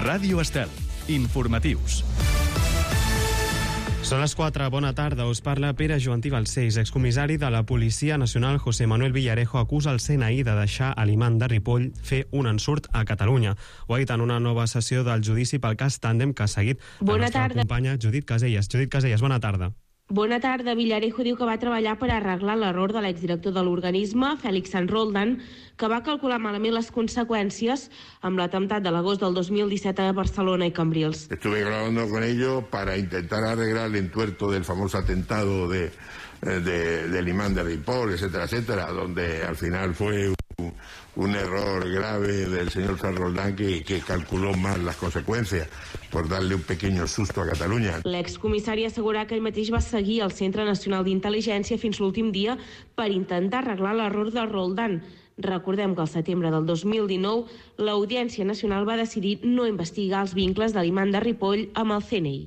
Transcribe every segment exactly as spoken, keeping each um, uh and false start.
Ràdio Estel. Informatius. Són les quatre, bona tarda, us parla Pere Joantí Balcells, excomissari de la Policia Nacional José Manuel Villarejo acusa el C N I de deixar a l'imam de Ripoll fer un ensurt a Catalunya. Ho ha dit en una nova sessió del judici pel cas Tàndem que ha seguit la nostra companya Judit Casellas. Judit Casellas, bona tarda. Bona tarda. Villarejo diu que va treballar per arreglar l'error de l'exdirector de l'organisme, Félix San Roldan, que va calcular malament les conseqüències amb l'atemptat de l'agost del dos mil disset a Barcelona i Cambrils. Estuve hablando con ellos para intentar arreglar el entuerto del famoso atentado de, de, del imán de Ripoll, etcétera, etcétera, donde al final fue un, un error grave del señor San Roldán que, que calculó mal las consecuencias por darle un pequeño susto a Catalunya. L'excomissari assegura que ell mateix va seguir al Centre Nacional d'Intel·ligència fins l'últim dia per intentar arreglar l'error de Roldán. Recordem que al setembre del dos mil dinou l'Audiència Nacional va decidir no investigar els vincles de l'imam de Ripoll amb el C N I.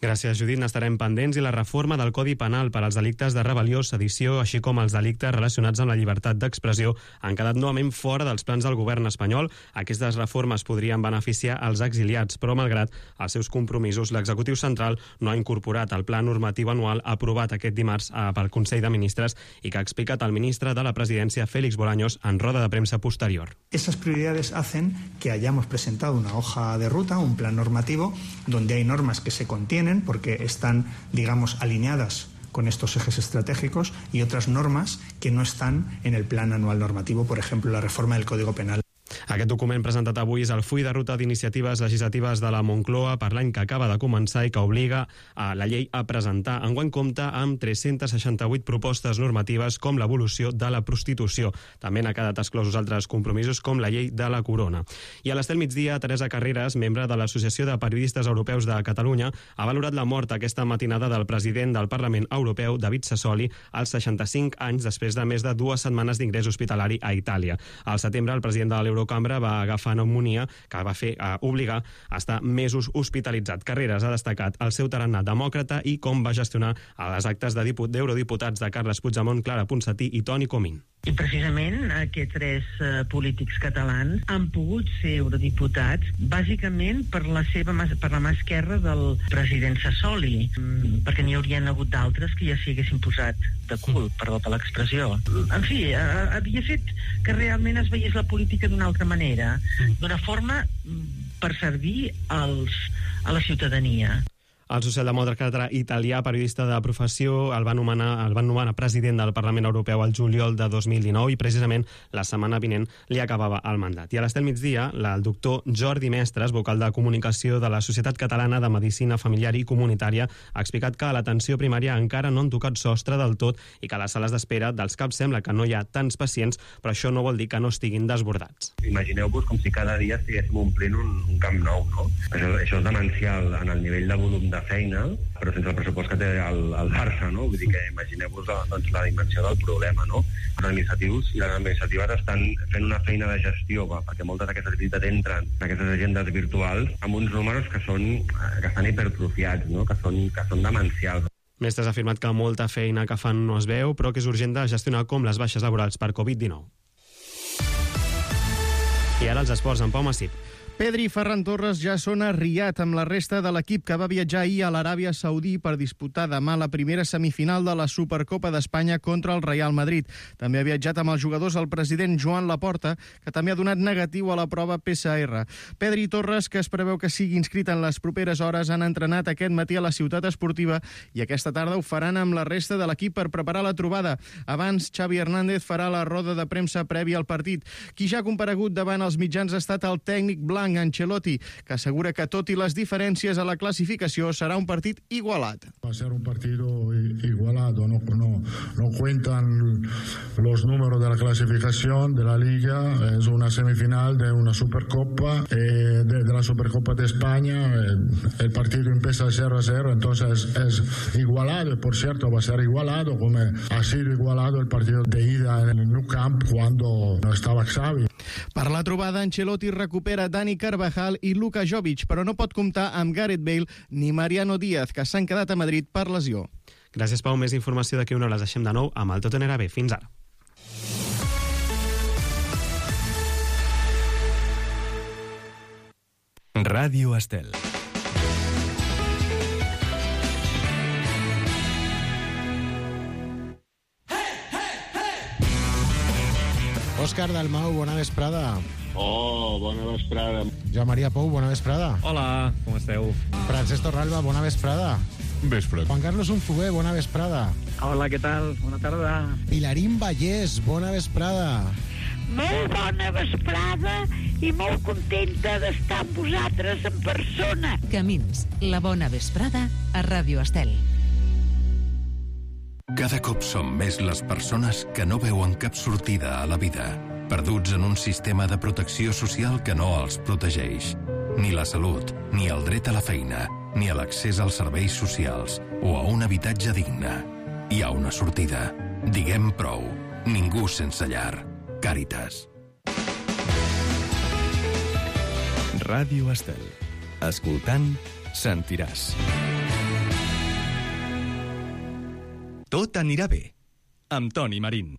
Gràcies, Judit. N'estarem pendents. I la reforma del Codi Penal per als delictes de rebel·lió, sedició, així com els delictes relacionats amb la llibertat d'expressió, han quedat novament fora dels plans del govern espanyol. Aquestes reformes podrien beneficiar els exiliats, però malgrat els seus compromisos, l'executiu central no ha incorporat el pla normatiu anual aprovat aquest dimarts pel Consell de Ministres i que ha explicat el ministre de la Presidència, Félix Bolaños, en roda de premsa posterior. Esas prioridades hacen que hayamos presentado una hoja de ruta, un plan normativo, donde hay normas que se contienen porque están, digamos, alineadas con estos ejes estratégicos y otras normas que no están en el plan anual normativo, por ejemplo, la reforma del Código Penal. Aquest document presentat avui és el full de ruta d'iniciatives legislatives de la Moncloa per l'any que acaba de començar i que obliga a la llei a presentar. Enguany compta amb tres-centes seixanta-vuit propostes normatives com l'evolució de la prostitució. També n'ha quedat exclosos altres compromisos com la llei de la corona. I a l'Estel Migdia, Teresa Carreras, membre de l'Associació de Periodistes Europeus de Catalunya, ha valorat la mort aquesta matinada del president del Parlament Europeu, David Sassoli, als seixanta-cinc anys després de més de dues setmanes d'ingrés hospitalari a Itàlia. Al setembre, el president de l'Eurocambra va agafar pneumonia que va fer eh, obligar a estar mesos hospitalitzat. Carreras ha destacat el seu tarannà demòcrata i com va gestionar les actes d'eurodiputats de Carles Puigdemont, Clara Ponsatí i Toni Comín. I precisament aquests tres uh, polítics catalans han pogut ser eurodiputats bàsicament per la seva per la mà esquerra del president Sassoli, mm, perquè n'hi haurien hagut d'altres que ja s'hi haguessin posat de cul, perdó per l'expressió. En fi, uh, havia fet que realment es veiés la política d'una altra manera, d'una forma per servir als, a la ciutadania. El socialdemòcrata italià, periodista de professió, el va nomenar, el va nomenar president del Parlament Europeu al juliol de dos mil dinou i precisament la setmana vinent li acabava el mandat. I a l'Estel Migdia, el doctor Jordi Mestres, vocal de comunicació de la Societat Catalana de Medicina Familiar i Comunitària, ha explicat que a l'atenció primària encara no han tocat sostre del tot i que a les sales d'espera dels CAPs sembla que no hi ha tants pacients, però això no vol dir que no estiguin desbordats. Imagineu-vos com si cada dia estiguéssim omplint un, un camp nou, no? Això, això és demencial en el nivell de volum de feina, però sense el pressupost que té el, el Barça, no? Vull dir que imagineu-vos doncs, la dimensió del problema, no? Els administratius i les administratives estan fent una feina de gestió, va, perquè moltes d'aquestes visites entren en aquestes agendes virtuals amb uns números que són que estan hipertrofiats, no? Que són, que són demencials. Mestres ha afirmat que molta feina que fan no es veu, però que és urgent de gestionar com les baixes laborals per covid dinou. I ara els esports amb Pau Massip. Pedri i Ferran Torres ja són a Riad amb la resta de l'equip que va viatjar ahir a l'Aràbia Saudí per disputar demà la primera semifinal de la Supercopa d'Espanya contra el Real Madrid. També ha viatjat amb els jugadors el president Joan Laporta, que també ha donat negatiu a la prova P C R. Pedri i Torres, que es preveu que sigui inscrit en les properes hores, han entrenat aquest matí a la ciutat esportiva i aquesta tarda ho faran amb la resta de l'equip per preparar la trobada. Abans, Xavi Hernández farà la roda de premsa prèvia al partit. Qui ja ha comparegut davant els mitjans ha estat el tècnic blanc Ancelotti, que assegura que tot i les diferències a la clasificació serà un partit igualat. Va a ser un partido igualado, no, no, no cuentan los números de la clasificación de la Liga, es una semifinal de una Supercopa, eh, de, de la Supercopa de España, eh, el partido empieza cero a cero, entonces es igualado, y por cierto va a ser igualado como ha sido igualado el partido de ida en el Nou Camp cuando no estaba Xavi. Per la trobada, Ancelotti recupera Dani Carvajal i Luka Jovic, però no pot comptar amb Gareth Bale ni Mariano Díaz, que s'han quedat a Madrid per lesió. Gràcies, Pau. Més informació d'aquí una hora. Les deixem de nou amb el Tot anirà bé. Fins ara. Ràdio Estel. Òscar Dalmau, bona vesprada. Oh, bona vesprada. Joan Maria Pou, bona vesprada. Hola, com esteu? Francesc Torralba, bona vesprada. Vesprada. Juan Carlos Unfugué, bona vesprada. Hola, què tal? Bona tarda. Pilarín Vallès, bona vesprada. Molt bona vesprada i molt contenta d'estar amb vosaltres en persona. Camins, la bona vesprada a Ràdio Estel. Cada cop som més les persones que no veuen cap sortida a la vida, perduts en un sistema de protecció social que no els protegeix. Ni la salut, ni el dret a la feina, ni a l'accés als serveis socials o a un habitatge digne. Hi ha una sortida. Diguem prou. Ningú sense llar. Càritas. Ràdio Estel. Escoltant, sentiràs. Tot anirà bé. Amb Toni Marín.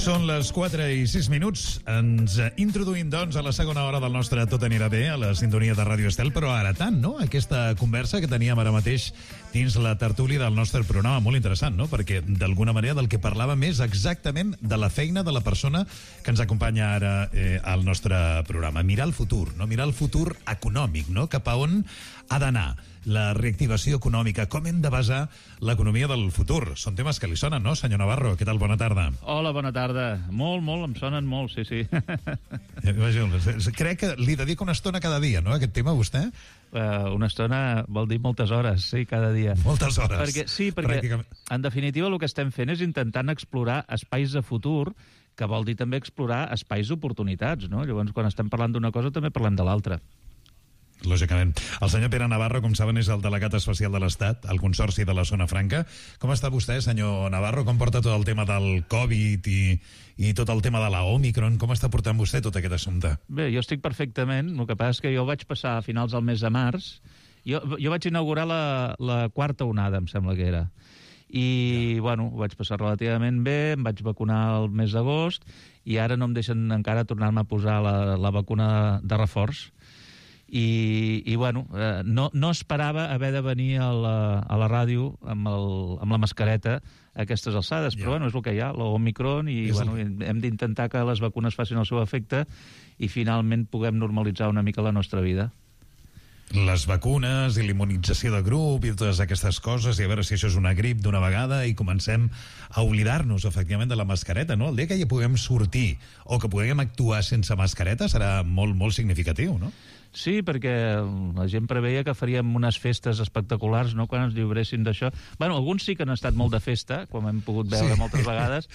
Són les quatre i sis minuts. Ens introduïm, doncs, a la segona hora del nostre Tot anirà bé, a la sintonia de Ràdio Estel, però ara tant, no? Aquesta conversa que teníem ara mateix dins la tertúlia del nostre programa, molt interessant, no? Perquè, d'alguna manera, del que parlàvem és exactament de la feina de la persona que ens acompanya ara eh, al nostre programa. Mirar el futur, no? Mirar el futur econòmic, no? Cap a on ha d'anar la reactivació econòmica, com hem de basar l'economia del futur. Són temes que li sonen, no, senyor Navarro? Què tal? Bona tarda. Hola, bona tarda. Molt, molt, em sonen molt, sí, sí. Crec que li dedica una estona cada dia, no, a aquest tema, vostè? Uh, una estona vol dir moltes hores, sí, cada dia. Moltes hores. Perquè, sí, perquè, en definitiva, el que estem fent és intentant explorar espais de futur, que vol dir també explorar espais d'oportunitats, no? Llavors, quan estem parlant d'una cosa, també parlem de l'altra. Lògicament. El senyor Pere Navarro, com saben, és el delegat especial de l'Estat al Consorci de la Zona Franca. Com està vostè, senyor Navarro? Com porta tot el tema del Covid i, i tot el tema de la Omicron? Com està portant vostè tot aquest assumpte? Bé, jo estic perfectament. El que passa és que jo vaig passar a finals del mes de març. Jo, jo vaig inaugurar la, la quarta onada, em sembla que era. I, ja. bueno, ho vaig passar relativament bé, em vaig vacunar el mes d'agost i ara no em deixen encara tornar-me a posar la, la vacuna de reforç. I, i bueno, eh, no, no esperava haver de venir a la, a la ràdio amb, el, amb la mascareta a aquestes alçades, yeah. Però bueno, és el que hi ha, l'Omicron, i bueno, el... hem d'intentar que les vacunes facin el seu efecte i finalment puguem normalitzar una mica la nostra vida. Les vacunes i l'immunització de grup i totes aquestes coses, i a veure si això és una grip d'una vegada i comencem a oblidar-nos, efectivament, de la mascareta, no? El dia que ja puguem sortir o que puguem actuar sense mascareta serà molt, molt significatiu, no? Sí, perquè la gent preveia que faríem unes festes espectaculars, no?, quan ens lliuressin d'això. Bueno, alguns sí que han estat molt de festa, com hem pogut veure sí. moltes vegades,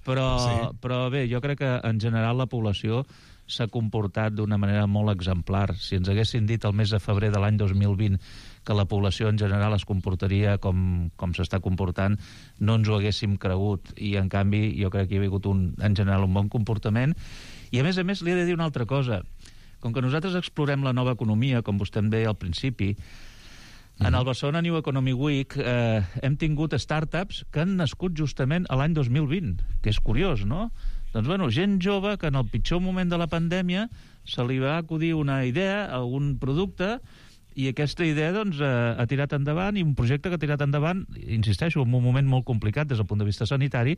però, sí. però bé, jo crec que en general la població s'ha comportat d'una manera molt exemplar. Si ens haguessin dit el mes de febrer de l'any dos mil vint que la població en general es comportaria com, com s'està comportant, no ens ho haguéssim cregut. I, en canvi, jo crec que hi ha hagut, un, en general, un bon comportament. I, a més a més, li he de dir una altra cosa. Com que nosaltres explorem la nova economia, com vostè em deia al principi, en el Barcelona New Economy Week eh, hem tingut startups que han nascut justament a l'any dos mil vint, que és curiós, no? Doncs, bueno, gent jove que en el pitjor moment de la pandèmia se li va acudir una idea, algun producte, i aquesta idea, doncs, eh, ha tirat endavant, i un projecte que ha tirat endavant, insisteixo, en un moment molt complicat des del punt de vista sanitari,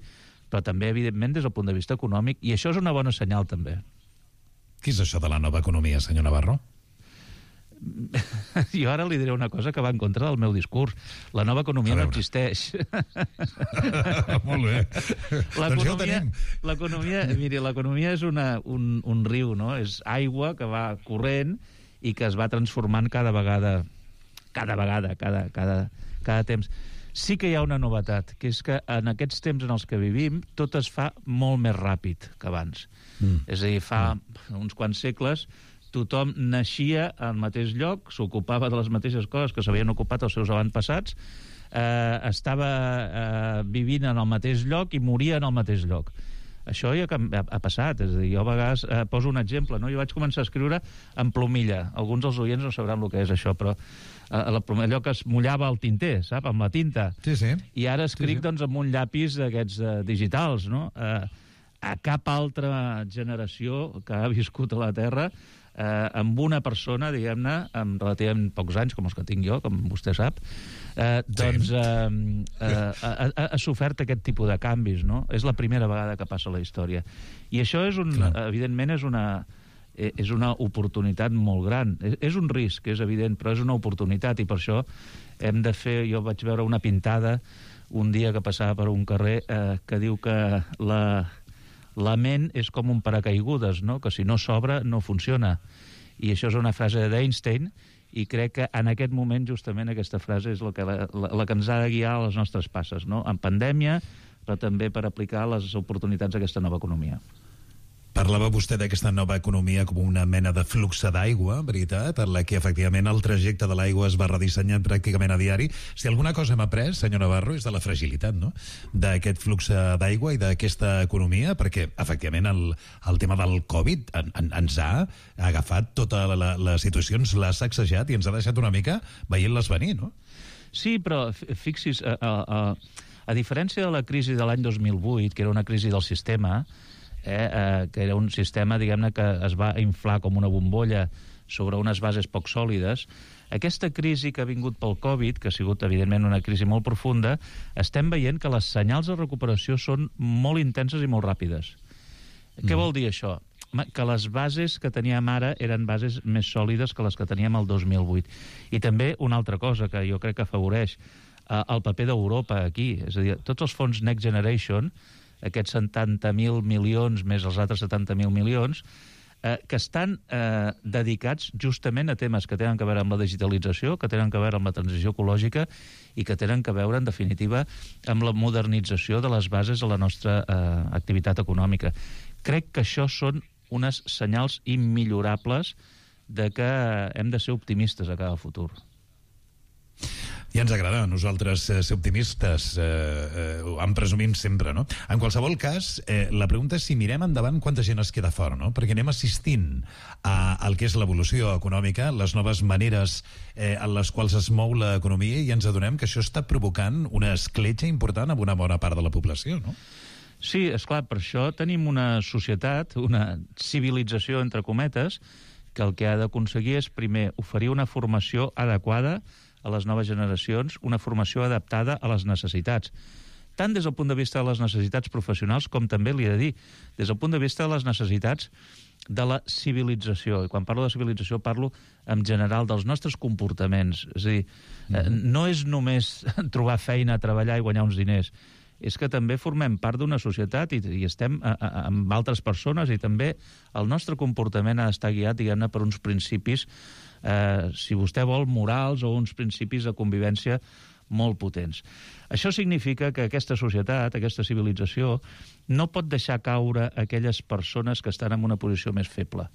però també, evidentment, des del punt de vista econòmic, i això és una bona senyal, també. Què és això de la nova economia, senyor Navarro? Jo ara li diré una cosa que va en contra del meu discurs. La nova economia no existeix. Molt bé. Doncs ja ho tenim. L'economia, miri, l'economia és una, un, un riu, no? És aigua que va corrent i que es va transformant cada vegada, cada vegada, cada, cada, cada temps. Sí que hi ha una novetat, que és que en aquests temps en els que vivim tot es fa molt més ràpid que abans. Mm. És a dir, fa mm. uns quants segles tothom naixia al mateix lloc, s'ocupava de les mateixes coses que s'havien ocupat els seus avantpassats, eh, estava eh, vivint en el mateix lloc i moria en el mateix lloc. Això ja ha, ha passat, és a dir, jo a vegades eh, poso un exemple, no? Jo vaig començar a escriure en plomilla. Alguns dels oients no sabran el que és això, però eh, la plomilla, allò que es mullava el tinter, sap?, amb la tinta. Sí, sí. I ara escric, sí, sí. doncs, amb un llapis d'aquests eh, digitals, no? Eh, a cap altra generació que ha viscut a la Terra eh, amb una persona, diguem-ne, amb relativament pocs anys, com els que tinc jo, com vostè sap, eh, doncs eh, eh, ha, ha, ha sofert aquest tipus de canvis, no? És la primera vegada que passa a la història. I això, és un, evidentment, és una, és una oportunitat molt gran. És, és un risc, és evident, però és una oportunitat, i per això hem de fer... Jo vaig veure una pintada un dia que passava per un carrer eh, que diu que la... la ment és com un paracaigudes, no? Que si no s'obre, no funciona. I això és una frase d'Einstein, i crec que en aquest moment justament aquesta frase és la que, la, la que ens ha de guiar a les nostres passes, no? En pandèmia, però també per aplicar les oportunitats d'aquesta nova economia. Parlava vostè d'aquesta nova economia com una mena de flux d'aigua, veritat, en la que efectivament el trajecte de l'aigua es va redissenyant pràcticament a diari. Si alguna cosa hem après, senyor Navarro, és de la fragilitat, no?, d'aquest flux d'aigua i d'aquesta economia, perquè efectivament el, el tema del Covid en, en, ens ha agafat tota la, la situació, ens l'ha sacsejat i ens ha deixat una mica veient-les venir, no? Sí, però fixis, a, a, a, a diferència de la crisi de l'any dos mil vuit, que era una crisi del sistema, Eh, eh, que era un sistema, diguem-ne, que es va inflar com una bombolla sobre unes bases poc sòlides, aquesta crisi que ha vingut pel Covid, que ha sigut, evidentment, una crisi molt profunda, estem veient que les senyals de recuperació són molt intenses i molt ràpides. Mm. Què vol dir això? Que les bases que teníem ara eren bases més sòlides que les que teníem el dos mil vuit. I també una altra cosa que jo crec que afavoreix eh, el paper d'Europa aquí, és a dir, tots els fons Next Generation, aquests setanta mil milions més els altres setanta mil milions, eh, que estan eh, dedicats justament a temes que tenen que veure amb la digitalització, que tenen que veure amb la transició ecològica i que tenen que veure, en definitiva, amb la modernització de les bases de la nostra eh, activitat econòmica. Crec que això són unes senyals immillorables de que hem de ser optimistes a cada futur. Ja ens agrada a nosaltres eh, ser optimistes, eh, eh, en presumim sempre, no? En qualsevol cas, eh, la pregunta és si mirem endavant quanta gent es queda fora, no? Perquè anem assistint a, al que és l'evolució econòmica, les noves maneres eh, en les quals es mou l'economia, i ens adonem que això està provocant una escletxa important amb una bona part de la població, no? Sí, esclar, per això tenim una societat, una civilització, entre cometes, que el que ha d'aconseguir és, primer, oferir una formació adequada a les noves generacions, una formació adaptada a les necessitats, tant des del punt de vista de les necessitats professionals com també, li he de dir, des del punt de vista de les necessitats de la civilització. I quan parlo de civilització parlo en general dels nostres comportaments. És a dir, mm-hmm. no és només trobar feina, treballar i guanyar uns diners, és que també formem part d'una societat i, i estem a, a, amb altres persones, i també el nostre comportament ha d'estar guiat, diguem-ne, per uns principis, eh, si vostè vol, morals, o uns principis de convivència molt potents. Això significa que aquesta societat, aquesta civilització, no pot deixar caure aquelles persones que estan en una posició més feble,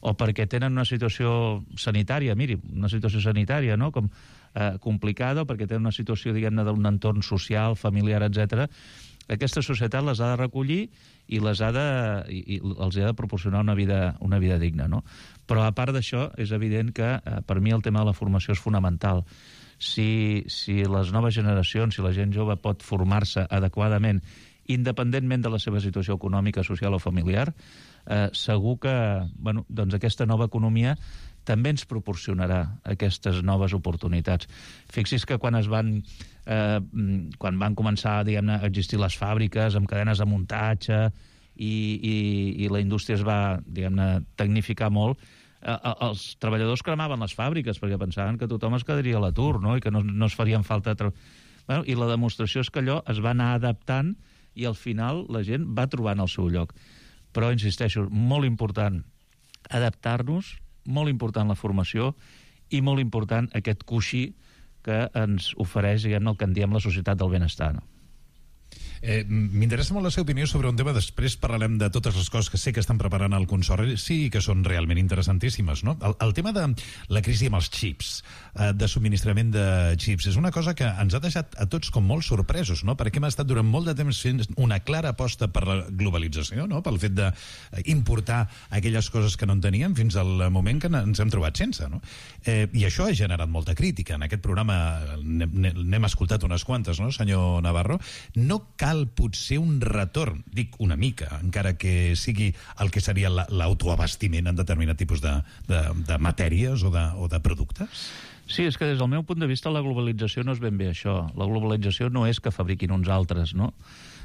o perquè tenen una situació sanitària, miri, una situació sanitària, no?, com eh, complicada, o perquè tenen una situació, diguem-ne, d'un entorn social, familiar, etcètera. Aquesta societat les ha de recollir i les ha de, i, i els ha de proporcionar una vida, una vida digna, no? Però a part d'això, és evident que eh, per mi el tema de la formació és fonamental. Si, si les noves generacions, si la gent jove pot formar-se adequadament, independentment de la seva situació econòmica, social o familiar, eh, segur que, bueno, doncs aquesta nova economia també ens proporcionarà aquestes noves oportunitats. Fixis que quan es van eh, quan van començar, diguem-ne, a existir les fàbriques amb cadenes de muntatge i, i, i la indústria es va, diguem-ne, tecnificar molt, eh, els treballadors cremaven les fàbriques perquè pensaven que tothom es quedaria a l'atur, no?, i que no, no es farien falta... Bueno, i la demostració és que allò es va anar adaptant i al final la gent va trobant el seu lloc. Però, insisteixo, molt important adaptar-nos, molt important la formació i molt important aquest coixí que ens ofereix, diguem-ne, el que en diem la societat del benestar, no? Eh, M'interessa molt la seva opinió sobre un tema. Després parlarem de totes les coses que sé que estan preparant al Consorci i que són realment interessantíssimes, no? El, el tema de la crisi amb els xips, eh, de subministrament de xips, és una cosa que ens ha deixat a tots com molt sorpresos, no? Perquè hem estat durant molt de temps fent una clara aposta per la globalització, no?, pel fet d'importar aquelles coses que no en teníem fins al moment que ens hem trobat sense, no? Eh, I això ha generat molta crítica. En aquest programa n'hem escoltat unes quantes, no, senyor Navarro? No cal cal potser un retorn, dic una mica, encara que sigui el que seria l'autoabastiment en determinat tipus de, de, de matèries o de, o de productes? Sí, és que des del meu punt de vista la globalització no és ben bé això. La globalització no és que fabriquin uns altres, no?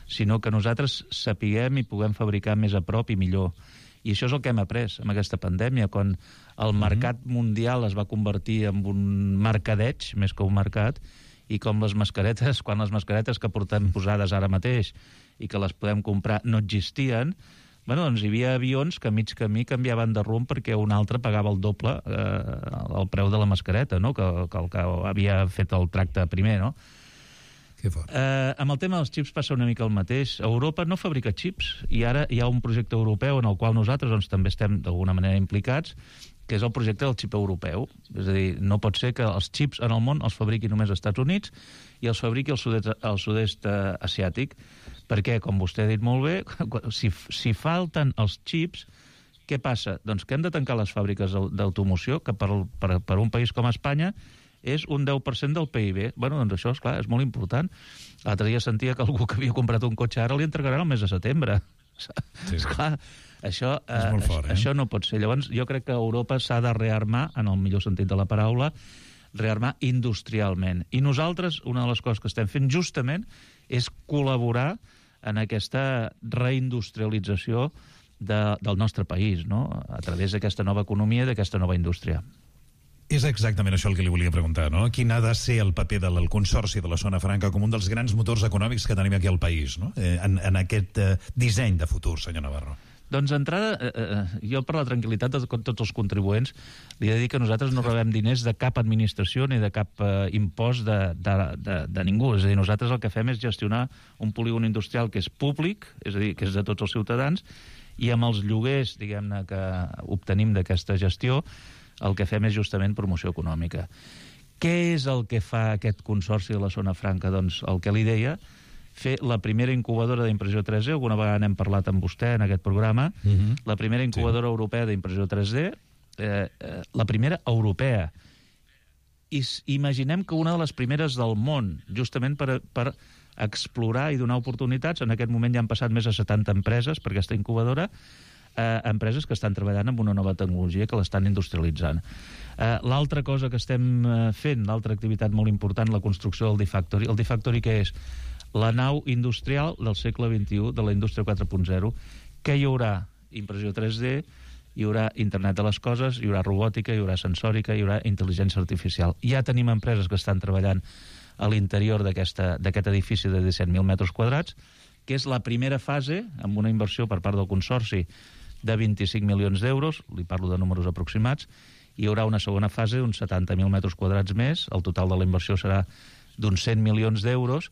Sinó que nosaltres sapiguem i puguem fabricar més a prop i millor. I això és el que hem après amb aquesta pandèmia, quan el mercat mundial es va convertir en un mercadeig, més que un mercat, i com les mascaretes, quan les mascaretes que portem posades ara mateix i que les podem comprar no existien, bueno, doncs hi havia avions que a mig camí canviaven de rumb perquè un altre pagava el doble eh, el preu de la mascareta, no? que, que el que havia fet el tracte primer, no? Que fort. Eh, amb el tema dels xips passa una mica el mateix. Europa no fabrica xips i ara hi ha un projecte europeu en el qual nosaltres doncs, també estem d'alguna manera implicats, que és el projecte del xip europeu. És a dir, no pot ser que els xips en el món els fabriqui només als Estats Units i els fabriqui al sud-est, al sud-est eh, asiàtic, perquè, com vostè ha dit molt bé, si, si falten els xips, què passa? Doncs que hem de tancar les fàbriques d'automoció, que per, per, per un país com Espanya és un deu per cent del P I B. Bueno, doncs això, esclar, és molt important. L'altre dia sentia que algú que havia comprat un cotxe ara li entregaran el mes de setembre. Sí. Esclar, això, eh, és molt fort, eh? Això no pot ser. Llavors, jo crec que Europa s'ha de rearmar, en el millor sentit de la paraula, rearmar industrialment. I nosaltres, una de les coses que estem fent justament és col·laborar en aquesta reindustrialització de, del nostre país, no? A través d'aquesta nova economia i d'aquesta nova indústria. És exactament això el que li volia preguntar, no? Quin ha de ser el paper del Consorci de la Zona Franca com un dels grans motors econòmics que tenim aquí al país, no? Eh, en, en aquest eh, disseny de futur, senyor Navarro. Doncs d'entrada, eh, eh, jo per la tranquil·litat de tots els contribuents li he de dir que nosaltres no rebem diners de cap administració ni de cap eh, impost de, de, de, de ningú. És a dir, nosaltres el que fem és gestionar un polígon industrial que és públic, és a dir, que és de tots els ciutadans, i amb els lloguers, diguem-ne, que obtenim d'aquesta gestió, el que fem és justament promoció econòmica. Què és el que fa aquest Consorci de la Zona Franca? Doncs el que li deia, fer la primera incubadora d'impressió tres D, alguna vegada n'hem parlat amb vostè en aquest programa, uh-huh. La primera incubadora sí. europea d'impressió tres D, eh, eh, la primera europea. I imaginem que una de les primeres del món, justament per, per explorar i donar oportunitats. En aquest moment ja han passat més de setanta empreses per aquesta incubadora, eh, empreses que estan treballant amb una nova tecnologia que l'estan industrialitzant. Eh, l'altra cosa que estem fent, l'altra activitat molt important, la construcció del D-Factory. El D-Factory què és? La nau industrial del segle vint-i-u, de la indústria quatre punt zero, que hi haurà impressió tres D, hi haurà internet de les coses, hi haurà robòtica, hi haurà sensòrica, hi haurà intel·ligència artificial. Ja tenim empreses que estan treballant a l'interior d'aquest edifici de disset mil metres quadrats, que és la primera fase, amb una inversió per part del Consorci de vint-i-cinc milions d'euros, li parlo de números aproximats, hi haurà una segona fase d'uns setanta mil metres quadrats més, el total de la inversió serà d'uns cent milions d'euros,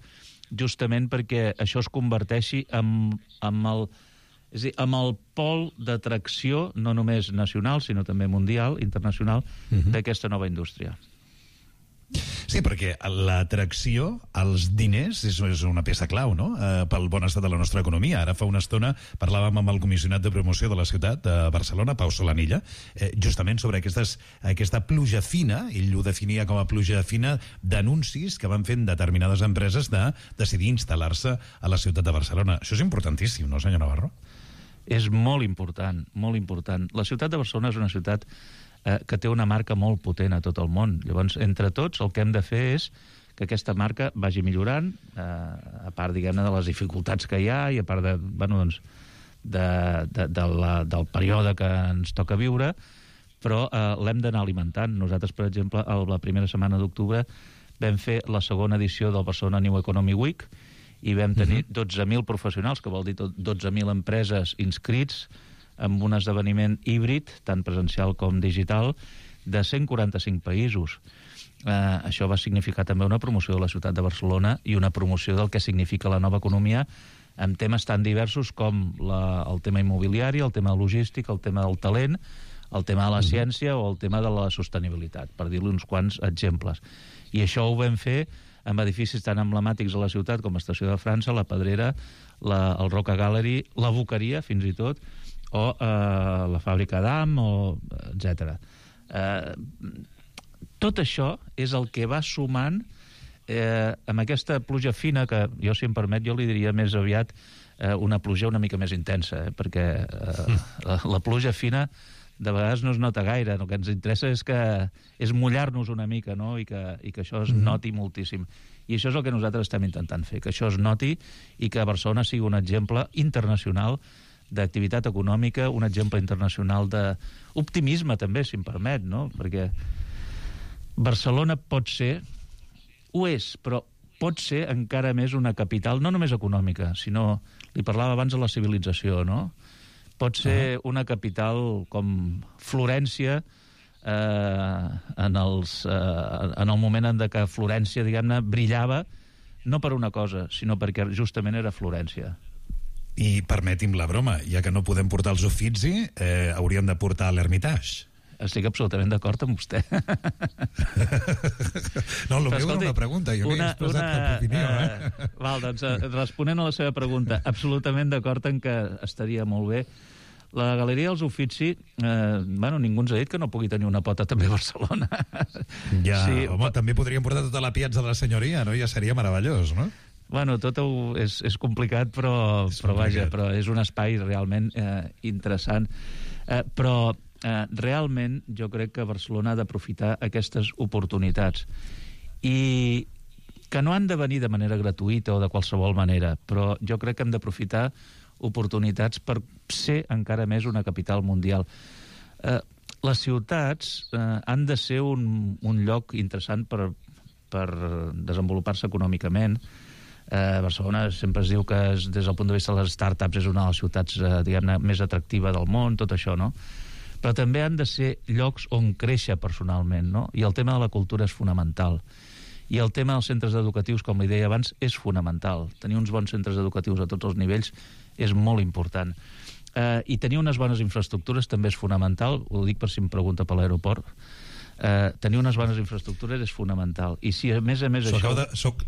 justament perquè això es converteixi en, en, el, és a dir, en el pol d'atracció, no només nacional, sinó també mundial, internacional, uh-huh. d'aquesta nova indústria. Sí, perquè l'atracció als diners és, és una peça clau, no?, eh, pel bon estat de la nostra economia. Ara fa una estona parlàvem amb el comissionat de promoció de la ciutat de Barcelona, Pau Solanilla, eh, justament sobre aquestes, aquesta pluja fina, ell ho definia com a pluja fina, d'anuncis que van fent determinades empreses de decidir instal·lar-se a la ciutat de Barcelona. Això és importantíssim, no, senyor Navarro? És molt important, molt important. La ciutat de Barcelona és una ciutat eh, que té una marca molt potent a tot el món. Llavors, entre tots, el que hem de fer és que aquesta marca vagi millorant, eh, a part, diguem-ne, de les dificultats que hi ha i a part de, bueno, doncs, de, de, de la, del període que ens toca viure, però eh, l'hem d'anar alimentant. Nosaltres, per exemple, a la primera setmana d'octubre vam fer la segona edició del Barcelona New Economy Week i vam tenir uh-huh. dotze mil professionals, que vol dir dotze mil empreses inscrits en un esdeveniment híbrid, tant presencial com digital, de cent quaranta-cinc països. Eh, això va significar també una promoció de la ciutat de Barcelona i una promoció del que significa la nova economia amb temes tan diversos com la, el tema immobiliari, el tema logístic, el tema del talent, el tema de la ciència o el tema de la sostenibilitat, per dir-li uns quants exemples. I això ho vam fer amb edificis tan emblemàtics a la ciutat com l'Estació de França, la Pedrera, la, el Roca Gallery, la Boqueria, fins i tot, o eh, la fàbrica d'Am, etcètera. Eh, tot això és el que va sumant eh, amb aquesta pluja fina, que jo, si em permet, jo li diria més aviat eh, una pluja una mica més intensa, eh, perquè eh, la, la pluja fina de vegades no es nota gaire. El que ens interessa és que és mullar-nos una mica, no? I, que, i que això es noti moltíssim. I això és el que nosaltres estem intentant fer, que això es noti i que Barcelona sigui un exemple internacional d'activitat econòmica, un exemple internacional d'optimisme també, si em permet, no? Perquè Barcelona pot ser, ho és, però pot ser encara més una capital, no només econòmica, sinó, li parlava abans de la civilització, no? Pot ser una capital com Florència, eh, en, els, eh, en el moment en què Florència, diguem-ne, brillava, no per una cosa, sinó perquè justament era Florència. I permeti'm la broma, ja que no podem portar els Uffizi, eh, hauríem de portar l'Hermitage. Estic absolutament d'acord amb vostè. No, el meu era una pregunta, jo m'he expressat cap opinió. Eh? Eh, val, doncs, responent a la seva pregunta, absolutament d'acord en que estaria molt bé. La Galeria dels Uffizi, eh, bueno, ningú ens ha dit que no pugui tenir una pota també a Barcelona. Ja, sí, home, també podríem portar tota la piazza de la senyoria, no? Ja seria meravellós, no? Bueno, tot és, és complicat, però, és però complicat. Vaja, però és un espai realment eh, interessant. Eh, però eh, realment jo crec que Barcelona ha d'aprofitar aquestes oportunitats. I que no han de venir de manera gratuïta o de qualsevol manera, però jo crec que hem d'aprofitar oportunitats per ser encara més una capital mundial. Eh, les ciutats eh, han de ser un, un lloc interessant per, per desenvolupar-se econòmicament. Eh, Barcelona sempre es diu que és, des del punt de vista de les startups és una de les ciutats eh, diguem-ne més atractiva del món, tot això, no? Però també han de ser llocs on créixer personalment, no? I el tema de la cultura és fonamental. I el tema dels centres educatius, com li deia abans, és fonamental. Tenir uns bons centres educatius a tots els nivells és molt important. Eh, I tenir unes bones infraestructures també és fonamental, ho dic per si em pregunta per l'aeroport. Eh, tenir unes bones infraestructures és fonamental. I si a més a més so això... De, soc,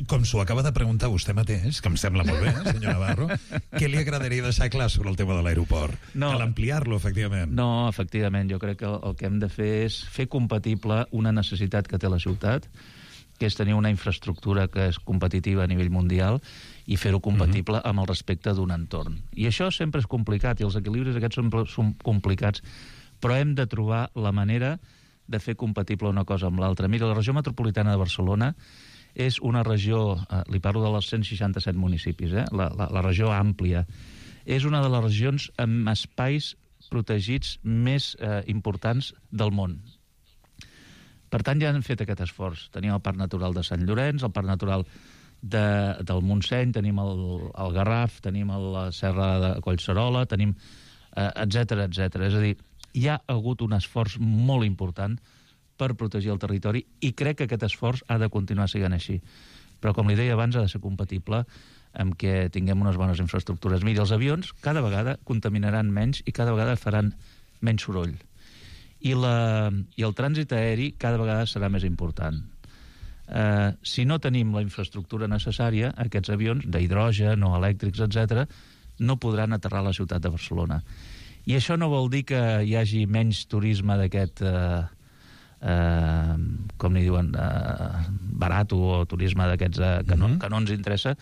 com s'ho acaba de preguntar vostè mateix, que em sembla molt bé, eh, senyor Navarro, què li agradaria deixar clar sobre el tema de l'aeroport? No, cal ampliar-lo, efectivament. No, efectivament, jo crec que el que hem de fer és fer compatible una necessitat que té la ciutat, que és tenir una infraestructura que és competitiva a nivell mundial i fer-ho compatible uh-huh. amb el respecte d'un entorn. I això sempre és complicat, i els equilibris aquests són, són complicats, però hem de trobar la manera de fer compatible una cosa amb l'altra. Mira, la regió metropolitana de Barcelona és una regió, eh, li parlo de les cent seixanta-set municipis, eh, la, la, la regió àmplia, és una de les regions amb espais protegits més eh, importants del món. Per tant, ja han fet aquest esforç. Tenim el Parc Natural de Sant Llorenç, el Parc Natural de, del Montseny, tenim el, el Garraf, tenim el, la Serra de Collserola, tenim eh, etcètera, etcètera. És a dir, hi ha hagut un esforç molt important per protegir el territori i crec que aquest esforç ha de continuar sent així. Però, com li deia abans, ha de ser compatible amb que tinguem unes bones infraestructures. Miri, els avions cada vegada contaminaran menys i cada vegada faran menys soroll. I, la, i el trànsit aeri cada vegada serà més important. Eh, si no tenim la infraestructura necessària, aquests avions d'hidrogen o elèctrics, etcètera, no podran aterrar a la ciutat de Barcelona. I això no vol dir que hi hagi menys turisme d'aquest... Eh, eh, com ni diuen, eh, barat o turisme d'aquests eh, que, no, mm-hmm. que no ens interessa,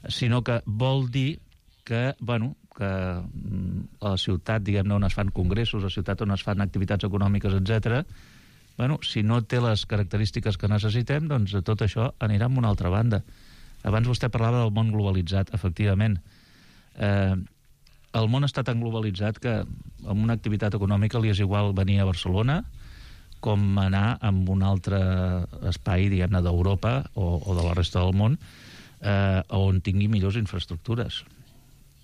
sinó que vol dir que, bueno, que a la ciutat, diguem-ne, on es fan congressos, a la ciutat on es fan activitats econòmiques, etcètera, bueno, si no té les característiques que necessitem, doncs tot això anirà en una altra banda. Abans vostè parlava del món globalitzat, efectivament. Eh, el món està tan globalitzat que amb una activitat econòmica li és igual venir a Barcelona com anar a un altre espai, diguem-ne, d'Europa o, o de la resta del món, eh, on tingui millors infraestructures.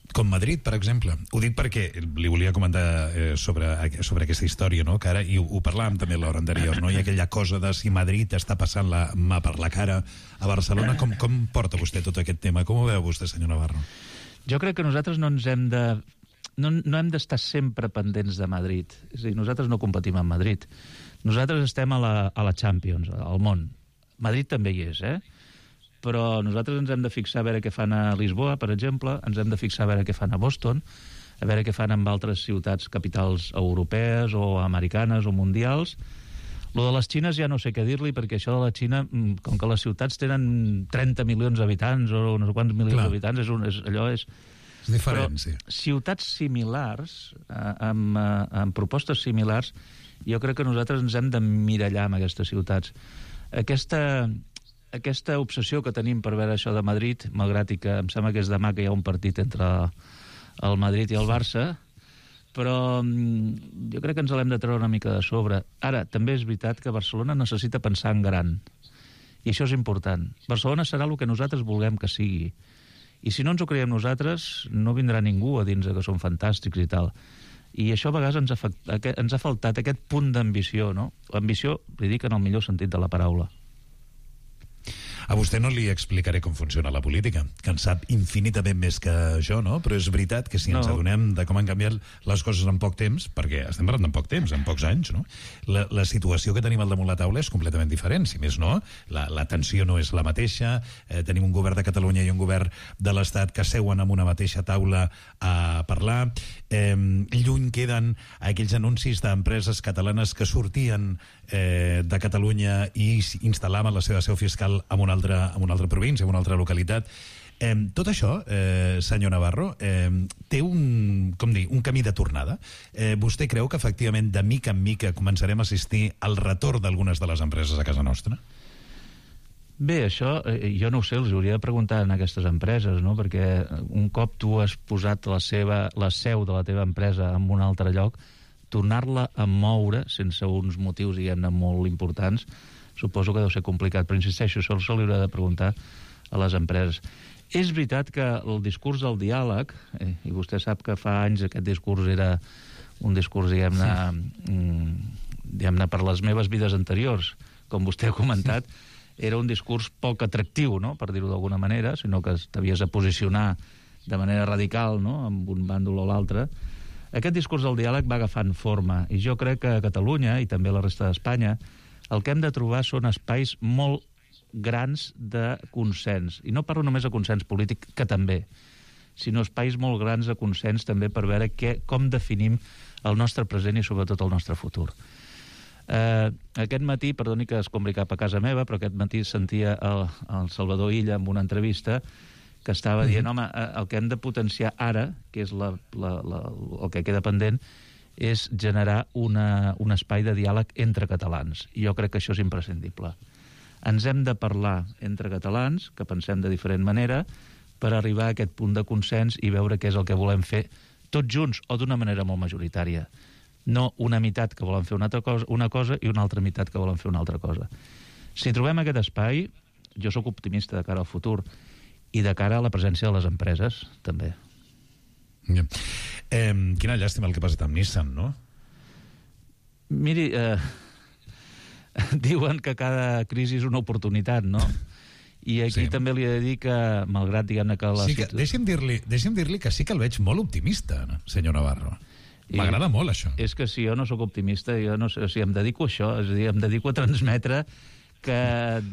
Com Madrid, per exemple. Ho dic perquè li volia comentar eh, sobre, sobre aquesta història, no? Que ara, i ho, ho parlàvem també l'hora anterior, no? I aquella cosa de si Madrid està passant la mà per la cara a Barcelona. Com, com porta vostè tot aquest tema? Com ho veu vostè, senyor Navarro? Jo crec que nosaltres no ens hem de... No, no hem d'estar sempre pendents de Madrid. És a dir, nosaltres no competim amb Madrid. Nosaltres estem a la, a la Champions, al món. Madrid també hi és, eh? Però nosaltres ens hem de fixar a veure què fan a Lisboa, per exemple, ens hem de fixar a veure què fan a Boston, a veure què fan amb altres ciutats capitals europees o americanes o mundials. Lo de les Xines ja no sé què dir-li, perquè això de la Xina, com que les ciutats tenen trenta milions d'habitants o no sé quants milions d'habitants, és un, és, allò és... És diferent, Però sí. Ciutats similars, eh, amb, eh, amb propostes similars, jo crec que nosaltres ens hem d'emmirallar amb aquestes ciutats. Aquesta, aquesta obsessió que tenim per veure això de Madrid, malgrat i que em sembla que és demà que hi ha un partit entre el Madrid i el Barça, però jo crec que ens l'hem de treure una mica de sobre. Ara, també és veritat que Barcelona necessita pensar en gran, i això és important. Barcelona serà el que nosaltres vulguem que sigui, i si no ens ho creiem nosaltres, no vindrà ningú a dir que som fantàstics i tal. I això a vegades ens ha, ens ha faltat aquest punt d'ambició, no? L'ambició, li dic en el millor sentit de la paraula. A vostè no li explicaré com funciona la política, que en sap infinitament més que jo, no? Però és veritat que si ens No. adonem de com han canviat les coses en poc temps, perquè estem parlant en poc temps, en pocs anys, no? La, la situació que tenim al damunt la taula és completament diferent, si més no. La, la tensió no és la mateixa, eh, tenim un govern de Catalunya i un govern de l'Estat que seuen en una mateixa taula a parlar. Eh, lluny queden aquells anuncis d'empreses catalanes que sortien eh, de Catalunya i instal·laven la seva seu fiscal en una altra, en una altra província, en una altra localitat. Eh, tot això, eh, senyor Navarro, eh, té un, com dir, un camí de tornada. Eh, vostè creu que efectivament de mica en mica començarem a assistir al retorn d'algunes de les empreses a casa nostra? Bé, això eh, jo no ho sé, els hauria de preguntar a aquestes empreses, no? Perquè un cop tu has posat la, seva, la seu de la teva empresa en un altre lloc, tornar-la a moure sense uns motius, diguem-ne, molt importants, suposo que deu ser complicat, però insisteixo, això se li haurà de preguntar a les empreses. És veritat que el discurs del diàleg, eh, i vostè sap que fa anys aquest discurs era un discurs, diguem-ne, sí. diguem-ne per les meves vides anteriors, com vostè ha comentat, era un discurs poc atractiu, no?, per dir-ho d'alguna manera, sinó que t'havies de posicionar de manera radical, no?, amb un bàndol o l'altre. Aquest discurs del diàleg va agafant forma, i jo crec que a Catalunya, i també a la resta d'Espanya, el que hem de trobar són espais molt grans de consens. I no parlo només de consens polític, que també, sinó espais molt grans de consens també per veure què, com definim el nostre present i sobretot el nostre futur. Eh, aquest matí, perdoni que escombri cap a casa meva, però aquest matí sentia el, el Salvador Illa en una entrevista que estava dient, home, el que hem de potenciar ara, que és la, la, la, el que queda pendent, és generar una, un espai de diàleg entre catalans. I jo crec que això és imprescindible. Ens hem de parlar entre catalans, que pensem de diferent manera, per arribar a aquest punt de consens i veure què és el que volem fer tots junts o d'una manera molt majoritària. No una meitat que volen fer una altra cosa, una cosa i una altra meitat que volen fer una altra cosa. Si trobem aquest espai, jo sóc optimista de cara al futur i de cara a la presència de les empreses, també. Yeah. Eh, quina llàstima el que ha passat amb Nissan, no? Miri, eh, diuen que cada crisi és una oportunitat, no? I aquí sí. també li he de dir que, malgrat, diguem-ne que... La sí que, deixi'm dir-li deixi'm dir-li que sí que el veig molt optimista, senyor Navarro. M'agrada molt, això. És que si jo no sóc optimista, jo no sé, o sigui, em dedico a això, és a dir, em dedico a transmetre que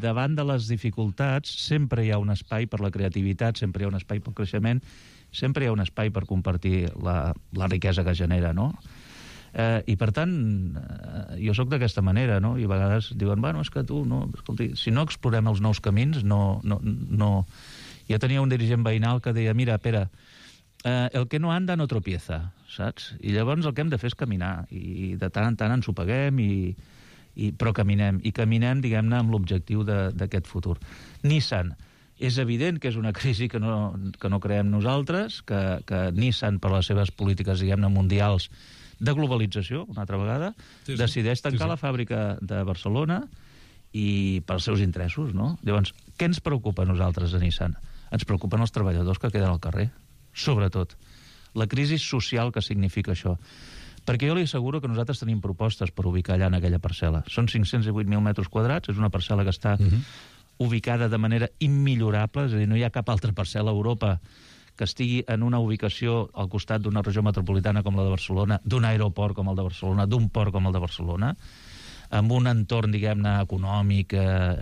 davant de les dificultats sempre hi ha un espai per la creativitat, sempre hi ha un espai pel creixement, sempre hi ha un espai per compartir la, la riquesa que genera, no? Eh, I, per tant, eh, jo sóc d'aquesta manera, no? I a vegades diuen, bueno, és que tu, no, escolti, si no explorem els nous camins, no... no, no... Jo tenia un dirigent veïnal que deia, mira, Pere, eh, el que no anda no tropieza, saps? I llavors el que hem de fer és caminar, i de tant en tant ens ho paguem, i, i, però caminem, i caminem, diguem-ne, amb l'objectiu d'aquest futur. Nissan, és evident que és una crisi que no, que no creem nosaltres, que, que Nissan, per les seves polítiques, diguem-ne, mundials de globalització, una altra vegada, sí, sí. decideix tancar sí, sí. la fàbrica de Barcelona i pels seus interessos, no? Llavors, què ens preocupa a nosaltres a Nissan? Ens preocupen els treballadors que queden al carrer, sobretot. La crisi social que significa això. Perquè jo li asseguro que nosaltres tenim propostes per ubicar allà en aquella parcel·la. Són cinc-cents divuit mil metres quadrats, és una parcel·la que està uh-huh. ubicada de manera immillorable, és a dir, no hi ha cap altra parcel·la a Europa que estigui en una ubicació al costat d'una regió metropolitana com la de Barcelona, d'un aeroport com el de Barcelona, d'un port com el de Barcelona, amb un entorn, diguem-ne, econòmic,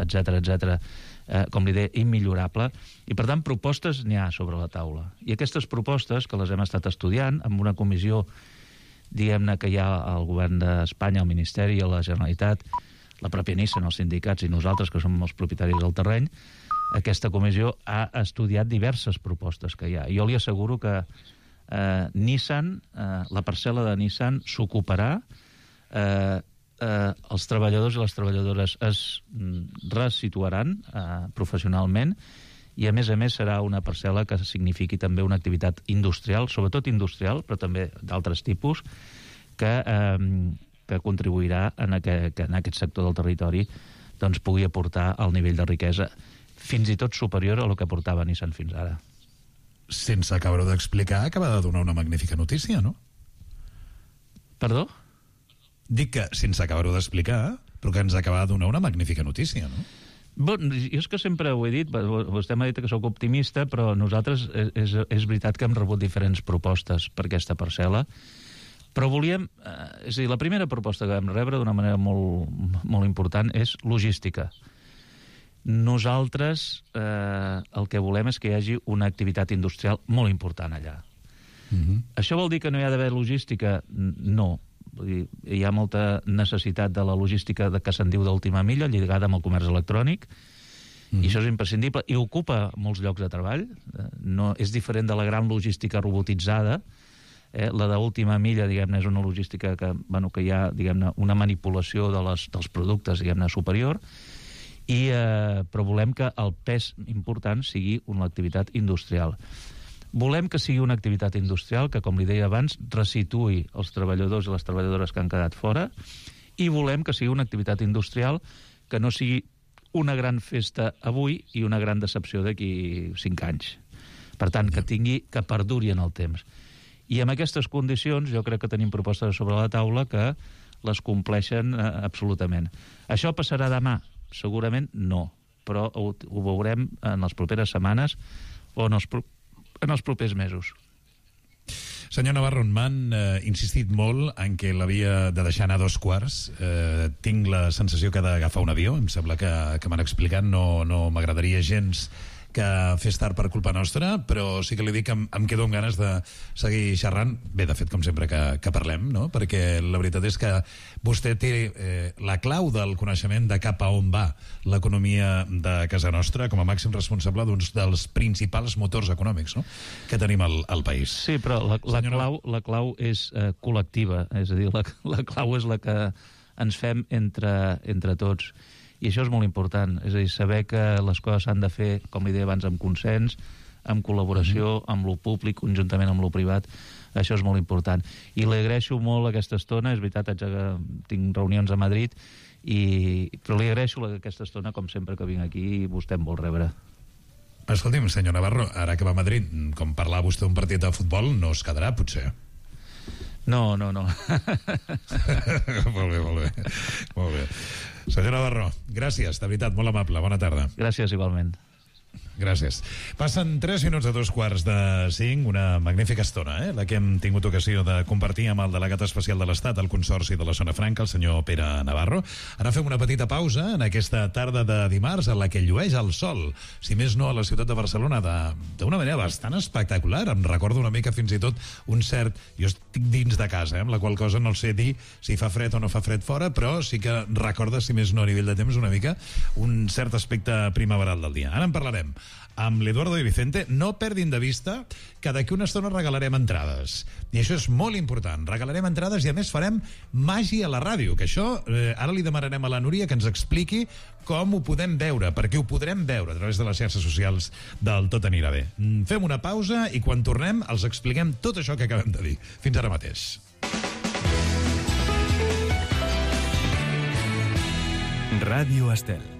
etcètera, etcètera, eh, com li deia, immillorable. I, per tant, propostes n'hi ha sobre la taula. I aquestes propostes, que les hem estat estudiant, amb una comissió, diguem-ne, que hi ha al govern d'Espanya, al Ministeri i a la Generalitat, la pròpia Nissan, els sindicats i nosaltres, que som els propietaris del terreny, aquesta comissió ha estudiat diverses propostes que hi ha. Jo li asseguro que eh, Nissan, eh, la parcel·la de Nissan s'ocuparà, eh, eh, els treballadors i les treballadores es resituaran eh, professionalment, i a més a més serà una parcel·la que signifiqui també una activitat industrial, sobretot industrial, però també d'altres tipus, que, eh, que contribuirà en aquest, que en aquest sector del territori doncs, pugui aportar el nivell de riquesa fins i tot superior a el que aportava Nissan fins ara. Sense acabar-ho d'explicar, acaba de donar una magnífica notícia, no? Perdó? Dic que, sense acabar-ho d'explicar, però que ens acaba de donar una magnífica notícia, no? Bon, jo és que sempre ho he dit, vostè m'ha dit que sóc optimista, però nosaltres és, és veritat que hem rebut diferents propostes per aquesta parcel·la, però volíem... Eh, és a dir, la primera proposta que vam rebre d'una manera molt, molt important és logística. Nosaltres eh, el que volem és que hi hagi una activitat industrial molt important allà. Mm-hmm. Això vol dir que no hi ha d'haver logística? No. Vull dir, hi ha molta necessitat de la logística de, que se'n diu d'última milla, lligada amb el comerç electrònic, mm. i això és imprescindible, i ocupa molts llocs de treball. No, és diferent de la gran logística robotitzada. Eh, la d'última milla, diguem-ne, és una logística que, bueno, que hi ha, diguem-ne, una manipulació de les, dels productes, diguem-ne, superior, i, eh, però volem que el pes important sigui una activitat industrial. Volem que sigui una activitat industrial que, com li deia abans, resituï els treballadors i les treballadores que han quedat fora, i volem que sigui una activitat industrial que no sigui una gran festa avui i una gran decepció d'aquí cinc anys. Per tant, que tingui, que perduri en el temps. I amb aquestes condicions jo crec que tenim propostes sobre la taula que les compleixen eh, absolutament. Això passarà demà? Segurament no, però ho, ho veurem en les properes setmanes o en els en els propers mesos. Senyor Navarro, m'han eh, insistit molt en què l'havia de deixar anar a dos quarts. Eh, tinc la sensació que ha d'agafar un avió. Em sembla que, que m'han explicat. No, no m'agradaria gens que fes tard per culpa nostra, però sí que li dic que em, em quedo amb ganes de seguir xerrant. Bé, de fet, com sempre que, que parlem, no? Perquè la veritat és que vostè té eh, la clau del coneixement de cap a on va l'economia de casa nostra com a màxim responsable d'uns dels principals motors econòmics, no?, que tenim al, al país. Sí, però la, la, clau, la clau és eh, col·lectiva, és a dir, la, la clau és la que ens fem entre, entre tots. I això és molt important, és a dir, saber que les coses s'han de fer, com li deia abans, amb consens, amb col·laboració, amb lo públic, conjuntament amb lo privat. Això és molt important. I li agraeixo molt aquesta estona, és veritat, haig de, tinc reunions a Madrid, i, però li agraeixo aquesta estona, com sempre que vinc aquí, i vostè em vol rebre. Escolti'm, senyor Navarro, ara que va a Madrid, com parlar vostè d'un partit de futbol, no es quedarà, potser? No, no, no. Molt bé, molt bé. Molt bé. Senyor Navarro, gràcies, de veritat, molt amable, bona tarda. Gràcies, igualment. Gràcies. Passen tres minuts a dos quarts de cinc, una magnífica estona, eh? La que hem tingut ocasió de compartir amb el delegat especial de l'Estat al Consorci de la Zona Franca, el senyor Pere Navarro. Ara fem una petita pausa en aquesta tarda de dimarts en la que llueix el sol, si més no a la ciutat de Barcelona, d'una manera bastant espectacular. Em recordo una mica fins i tot un cert... Jo estic dins de casa, eh? Amb la qual cosa no sé dir si fa fred o no fa fred fora, però sí que recorda, si més no a nivell de temps, una mica un cert aspecte primaveral del dia. Ara en parlarem amb l'Eduardo i Vicente. No perdin de vista que d'aquí una estona regalarem entrades. I això és molt important. Regalarem entrades i a més farem màgia a la ràdio, que això eh, ara li demanarem a la Núria que ens expliqui com ho podem veure, perquè ho podrem veure a través de les xarxes socials del Tot anirà bé. Fem una pausa i quan tornem els expliquem tot això que acabem de dir. Fins ara mateix. Ràdio Estel.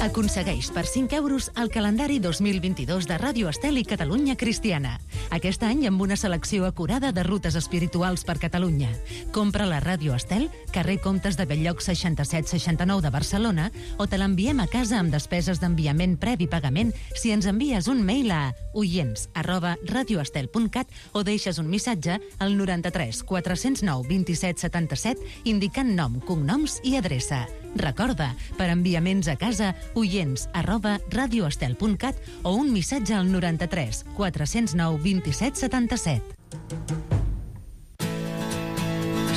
Aconsegueix per cinc euros el calendari dos mil vint-i-dos de Ràdio Estel i Catalunya Cristiana. Aquest any amb una selecció acurada de rutes espirituals per Catalunya. Compra la Ràdio Estel, carrer Comtes de Belllloc seixanta-set seixanta-nou de Barcelona, o te l'enviem a casa amb despeses d'enviament previ pagament si ens envies un mail a oients arroba radioestel punt cat o deixes un missatge al noranta-tres quatre-cents nou vint-i-set setanta-set indicant nom, cognoms i adreça. Recorda, per enviaments a casa, oients arroba radioestel punt cat o un missatge al noranta-tres quatre-cents nou vint-i-set setanta-set.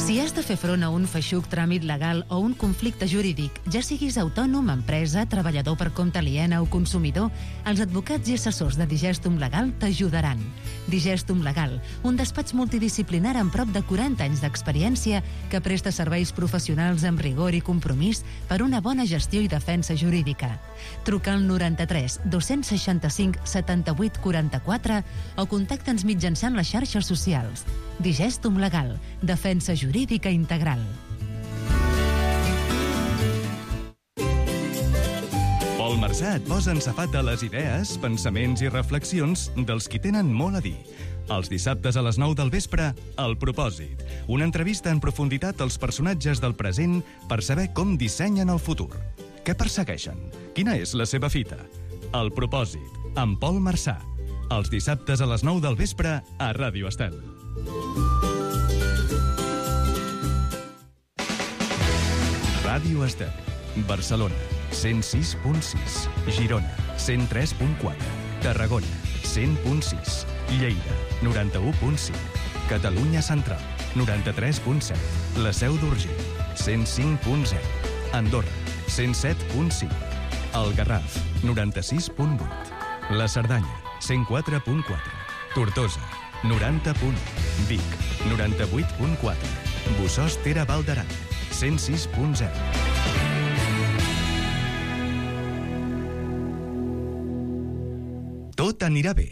Si has de fer front a un feixuc tràmit legal o un conflicte jurídic, ja siguis autònom, empresa, treballador per compte aliena o consumidor, els advocats i assessors de Digestum Legal t'ajudaran. Digestum Legal, un despatx multidisciplinar amb prop de quaranta anys d'experiència que presta serveis professionals amb rigor i compromís per una bona gestió i defensa jurídica. Truca al noranta-tres dos-cents seixanta-cinc setanta-vuit quaranta-quatre o contacta'ns mitjançant les xarxes socials. Digestum Legal, defensa jurídica integral. Pol Marsà et posa en safata les idees, pensaments i reflexions dels qui tenen molt a dir. Els dissabtes a les nou del vespre, El Propòsit. Una entrevista en profunditat als personatges del present per saber com dissenyen el futur. Què persegueixen? Quina és la seva fita? El Propòsit, amb Pol Marsà. Els dissabtes a les nou del vespre a Ràdio Estel. Ràdio Estel, Barcelona, cent sis punt sis, Girona, cent tres punt quatre, Tarragona, cent punt sis, Lleida, noranta-u punt cinc, Catalunya Central, noranta-tres punt set, La Seu d'Urgell, cent cinc punt zero, Andorra, cent set punt cinc, El Garraf, noranta-sis punt vuit, La Cerdanya, cent quatre punt quatre, Tortosa, noranta punt u, Vic, noranta-vuit punt quatre, Bossòst Tere Val d'Aran, cent sis punt zero. Tot anirà bé,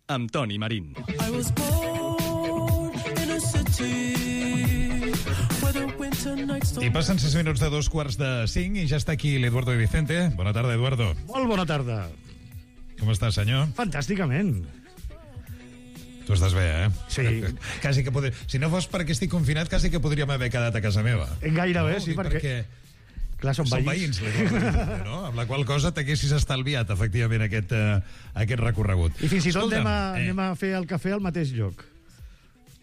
amb Toni Marín. I passen sis minuts de dos quarts de cinc i ja està aquí l'Eduardo de Vicente. Bona tarda, Eduardo. Molt bona tarda. Com està, senyor? Fantàsticament. Tu estàs bé, eh? Sí. Quasi que podria... Si no fos perquè estic confinat, quasi que podríem haver quedat a casa meva. Gairebé, no? sí, perquè... perquè... Clar, són Són veïns. veïns, no? Amb la qual cosa t'haguessis estalviat, efectivament, aquest, uh, aquest recorregut. I fins i tot Escolta'm, anem a, eh... anem a fer el cafè al mateix lloc.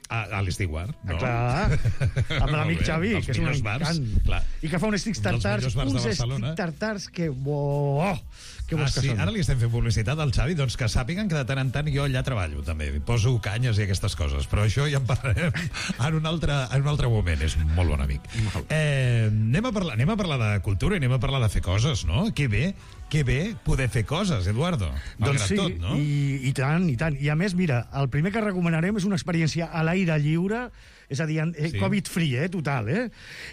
A, a l'Estiguar, no? Ah, clar, amb l'amic Xavi, que és un encant. Clar. I que fa uns sticks tartars, uns sticks tartars que... Oh, que ah, bons que sí? són. Ara li estem fent publicitat al Xavi, doncs que sàpiguen que de tant en tant jo allà treballo, també. Poso canyes i aquestes coses, però això ja en parlarem en un altre, en un altre moment. És un molt bon amic. Eh, anem, a parlar, anem a parlar de cultura i anem a parlar de fer coses, no? Que bé, que bé poder fer coses, Eduardo. Doncs sí, tot, no? i, i tant, i tant. I a més, mira, el primer que recomanarem és una experiència a l'aire lliure, és a dir, sí. Covid-free, eh, total, eh?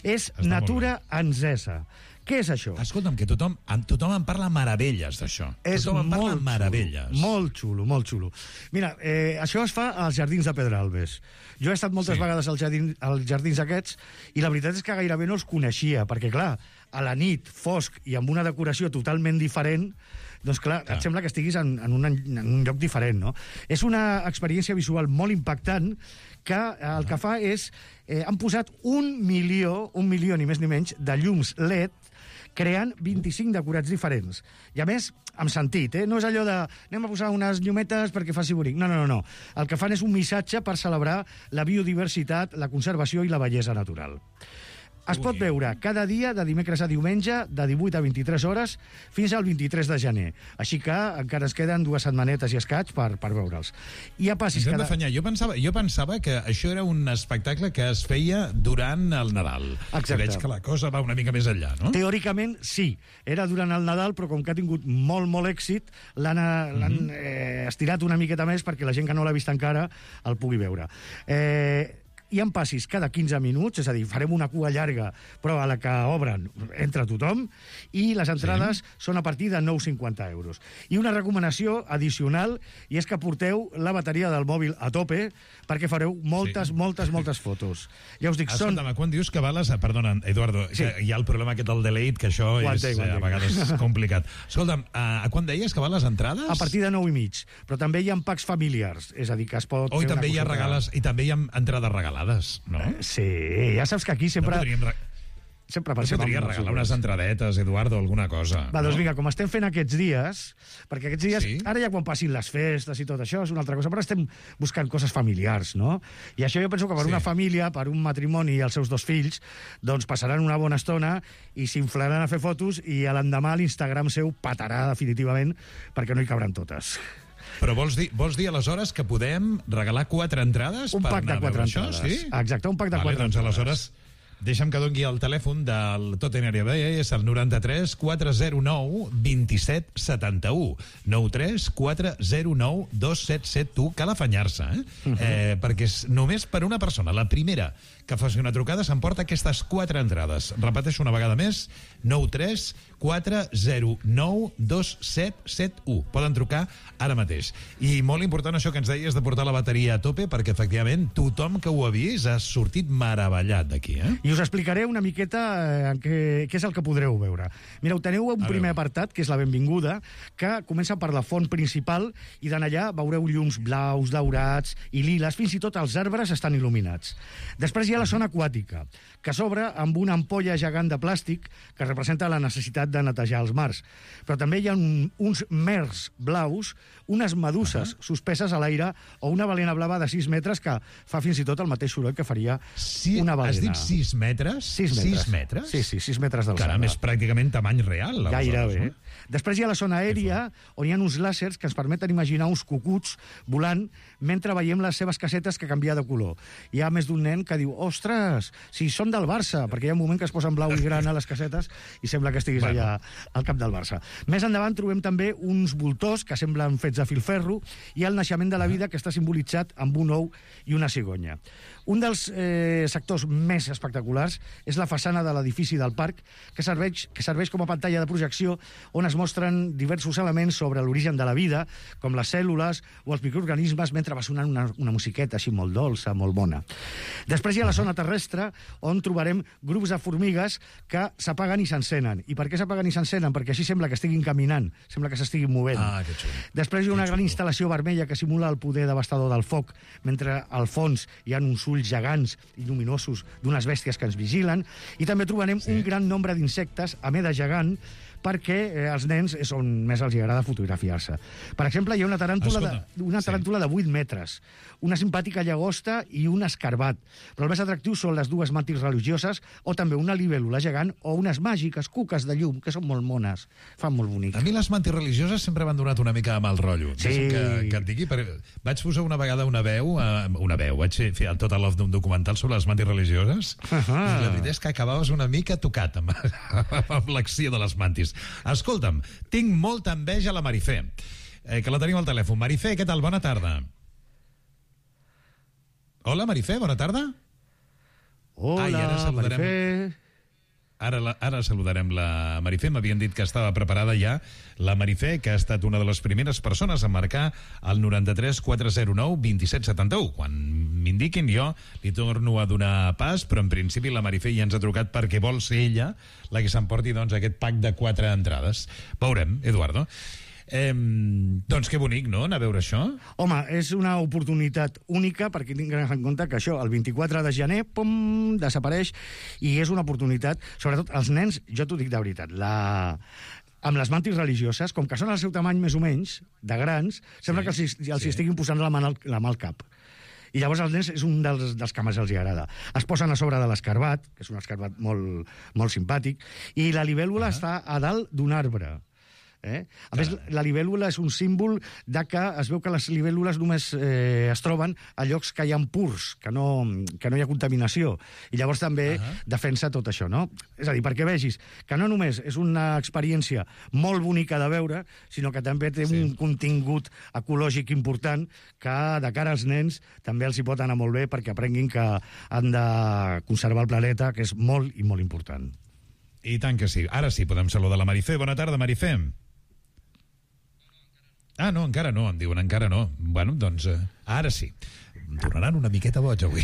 És Està Natura Ansesa. Què és això? Escolta'm, que tothom, tothom en parla meravelles d'això. És tothom en parla molt meravelles. Xulo, molt xulo, molt xulo. Mira, eh, això es fa als Jardins de Pedralbes. Jo he estat moltes sí. vegades als jardins, als jardins aquests i la veritat és que gairebé no els coneixia, perquè, clar, a la nit, fosc i amb una decoració totalment diferent, doncs clar, clar. et sembla que estiguis en, en, un, en un lloc diferent, no? És una experiència visual molt impactant que el que fa és... Eh, han posat un milió, un milió ni més ni menys, de llums L E D creant vint-i-cinc decorats diferents. I a més, amb sentit, eh? No és allò de anem a posar unes llumetes perquè faci bonic. No, no, no, no. El que fan és un missatge per celebrar la biodiversitat, la conservació i la bellesa natural. Es pot veure cada dia, de dimecres a diumenge, de divuit a vint-i-tres hores, fins al vint-i-tres de gener. Així que encara es queden dues setmanetes i escaig per, per veure'ls. I ja passis cada... cada... Jo pensava, jo pensava que això era un espectacle que es feia durant el Nadal. Exacte. Veig que la cosa va una mica més enllà, no? Teòricament, sí. Era durant el Nadal, però com que ha tingut molt, molt èxit, l'han mm-hmm. eh, estirat una miqueta més perquè la gent que no l'ha vist encara el pugui veure. Eh... Hi ha passis cada quinze minuts, és a dir, farem una cua llarga, però a la que obren entra tothom, i les entrades sí. són a partir de nou coma cinquanta euros. I una recomanació addicional, i és que porteu la bateria del mòbil a tope, perquè fareu moltes, sí. moltes, moltes fotos. Ja us dic, són... Escolta'm, quan dius que vales... Perdona, Eduardo, sí. hi ha el problema aquest del delete, que això és a vegades complicat. Escolta'm, a quan deies que val les entrades? A partir de nou i mig, però també hi ha packs familiars, és a dir, que es pot... Oh, i també hi ha regales, i també hi ha entrades regalades. No? Sí, ja saps que aquí sempre... No podríem... Sempre pensem... No podria regalar unes entradetes, Eduardo, alguna cosa. Va, doncs no? vinga, com estem fent aquests dies, perquè aquests dies, sí? ara ja quan passin les festes i tot això, és una altra cosa, però estem buscant coses familiars, no? I això jo penso que per sí. una família, per un matrimoni i els seus dos fills, doncs passaran una bona estona i s'inflaran a fer fotos i a l'endemà l'Instagram seu patarà definitivament perquè no hi cabran totes. Però vols dir, vols dir aleshores que podem regalar quatre entrades? Un per pack de quatre entrades. Això, sí? Exacte, un pack de vale, quatre doncs entrades. Aleshores, Deixa'm que doni el telèfon del Tottenham, és el noranta-tres quatre zero nou dos set set u. nou tres quatre zero nou dos set set u. Cal afanyar-se, eh? Uh -huh. eh? Perquè és només per una persona. La primera que faci una trucada s'emporta aquestes quatre entrades. Repeteixo una vegada més, nou tres quatre zero nou dos set set u. Poden trucar ara mateix. I molt important això que ens deies de portar la bateria a tope, perquè efectivament tothom que ho ha vist ha sortit meravellat d'aquí, eh? I us explicaré una miqueta eh, què, què és el que podreu veure. Mireu, teniu un primer apartat, que és la benvinguda, que comença per la font principal, i d'en allà veureu llums blaus, daurats i liles, fins i tot els arbres estan il·luminats. Després hi ha la zona aquàtica, que s'obre amb una ampolla gegant de plàstic que representa la necessitat de netejar els mars. Però també hi ha un, uns mers blaus, unes meduses uh -huh. suspeses a l'aire o una balena blava de sis metres que fa fins i tot el mateix soroll que faria sí, una balena. Has dit sis metres? sis metres. sis metres? Sí, sí, sis metres d'alçada. Caram, és pràcticament tamany real. Gairebé. No? Després hi ha la zona aèria, on hi ha uns làsers que ens permeten imaginar uns cucuts volant mentre veiem les seves casetes que canvia de color. Hi ha més d'un nen que diu, ostres, si són del Barça, perquè hi ha un moment que es posen blau i gran a les casetes i sembla que estiguis bueno. allà al camp del Barça. Més endavant trobem també uns voltors que semblen fets de filferro i el naixement de la vida, que està simbolitzat amb un ou i una cigonya. Un dels eh, sectors més espectaculars és la façana de l'edifici del parc, que serveix, que serveix com a pantalla de projecció on es mostren diversos elements sobre l'origen de la vida, com les cèl·lules o els microorganismes, mentre va sonant una, una musiqueta així molt dolça, molt bona. Després hi ha la zona terrestre, on trobarem grups de formigues que s'apaguen i s'encenen. I per què s'apaguen i s'encenen? Perquè així sembla que estiguin caminant, sembla que s'estiguin movent. Ah, que xulo. Després hi ha una gran instal·lació vermella que simula el poder devastador del foc, mentre al fons hi ha uns ulls gegants i lluminosos d'unes bèsties que ens vigilen, i també trobarem sí. un gran nombre d'insectes a mida gegant, perquè eh, als nens és on més els agrada fotografiar-se. Per exemple, hi ha una taràntula, de, una taràntula sí. de vuit metres, una simpàtica llagosta i un escarbat. Però el més atractiu són les dues màntirs religioses o també una libèl·lula gegant o unes màgiques cuques de llum, que són molt mones, fan molt bonic. A mi les màntirs religioses sempre m'han donat una mica de mal rotllo. Sí. Que, que et digui, perquè vaig posar una vegada una veu, uh, una veu, vaig fer el Total Love d'un documental sobre les màntirs religioses, uh -huh. i la veritat és que acabaves una mica tocat amb, amb l'acció de les màntirs. Escolta'm, tinc molta enveja a la Marifé, eh, que la tenim al telèfon. Marifé, què tal? Bona tarda. Hola, Marifé, bona tarda. Hola, Ai, ara saludarem... Marifé. Ara, la, ara saludarem la Marifé. M'havien dit que estava preparada ja la Marifé, que ha estat una de les primeres persones a marcar el noranta-tres quatre zero nou dos set set u. Quan m'indiquin jo li torno a donar pas, però en principi la Marifé ja ens ha trucat perquè vol ser ella la que s'emporti doncs, aquest pack de quatre entrades. Veurem, Eduardo. Eh, doncs que bonic, no?, anar a veure això. Home, és una oportunitat única perquè tinguin en compte que això, el vint-i-quatre de gener, pum, desapareix, i és una oportunitat, sobretot els nens, jo t'ho dic de veritat, la... amb les màntirs religioses, com que són al seu tamany més o menys, de grans, sembla sí, que els, els sí. estiguin posant la mà, al, la mà al cap. I llavors els nens és un dels, dels que més els agrada. Es posen a sobre de l'escarbat, que és un escarbat molt, molt simpàtic, i la libèl·lula uh-huh. està a dalt d'un arbre. Eh? A més, la libèl·lula és un símbol de que es veu que les libèl·lules només eh, es troben a llocs que hi ha purs, que no, que no hi ha contaminació, i llavors també uh -huh. defensa tot això, no? És a dir, perquè vegis que no només és una experiència molt bonica de veure, sinó que també té sí. un contingut ecològic important que de cara als nens també els hi pot anar molt bé perquè aprenguin que han de conservar el planeta, que és molt i molt important. I tant que sí. Ara sí, podem saludar la Marifé. Bona tarda, Marifé. Ah, no, encara no, em diuen, encara no. Bueno, doncs, eh, ara sí. Em tornaran una miqueta boig avui.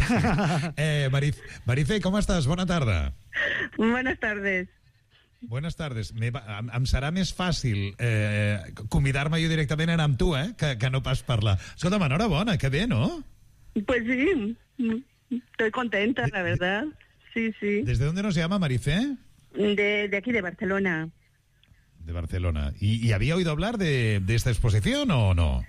eh, Marif Marifé, com estàs? Bona tarda. Buenas tardes. Buenas tardes. Me va, em, em serà més fàcil eh, convidar-me jo directament a anar amb tu, eh, que, que no pas parlar. Escolta'm, enhorabona, que bé, ¿no? Pues sí, estoy contenta, la verdad. Sí, sí. ¿Desde dónde nos llama, Marifé? De, de aquí, de Barcelona. De Barcelona. ¿Y, y había oído hablar de, de esta exposición o no?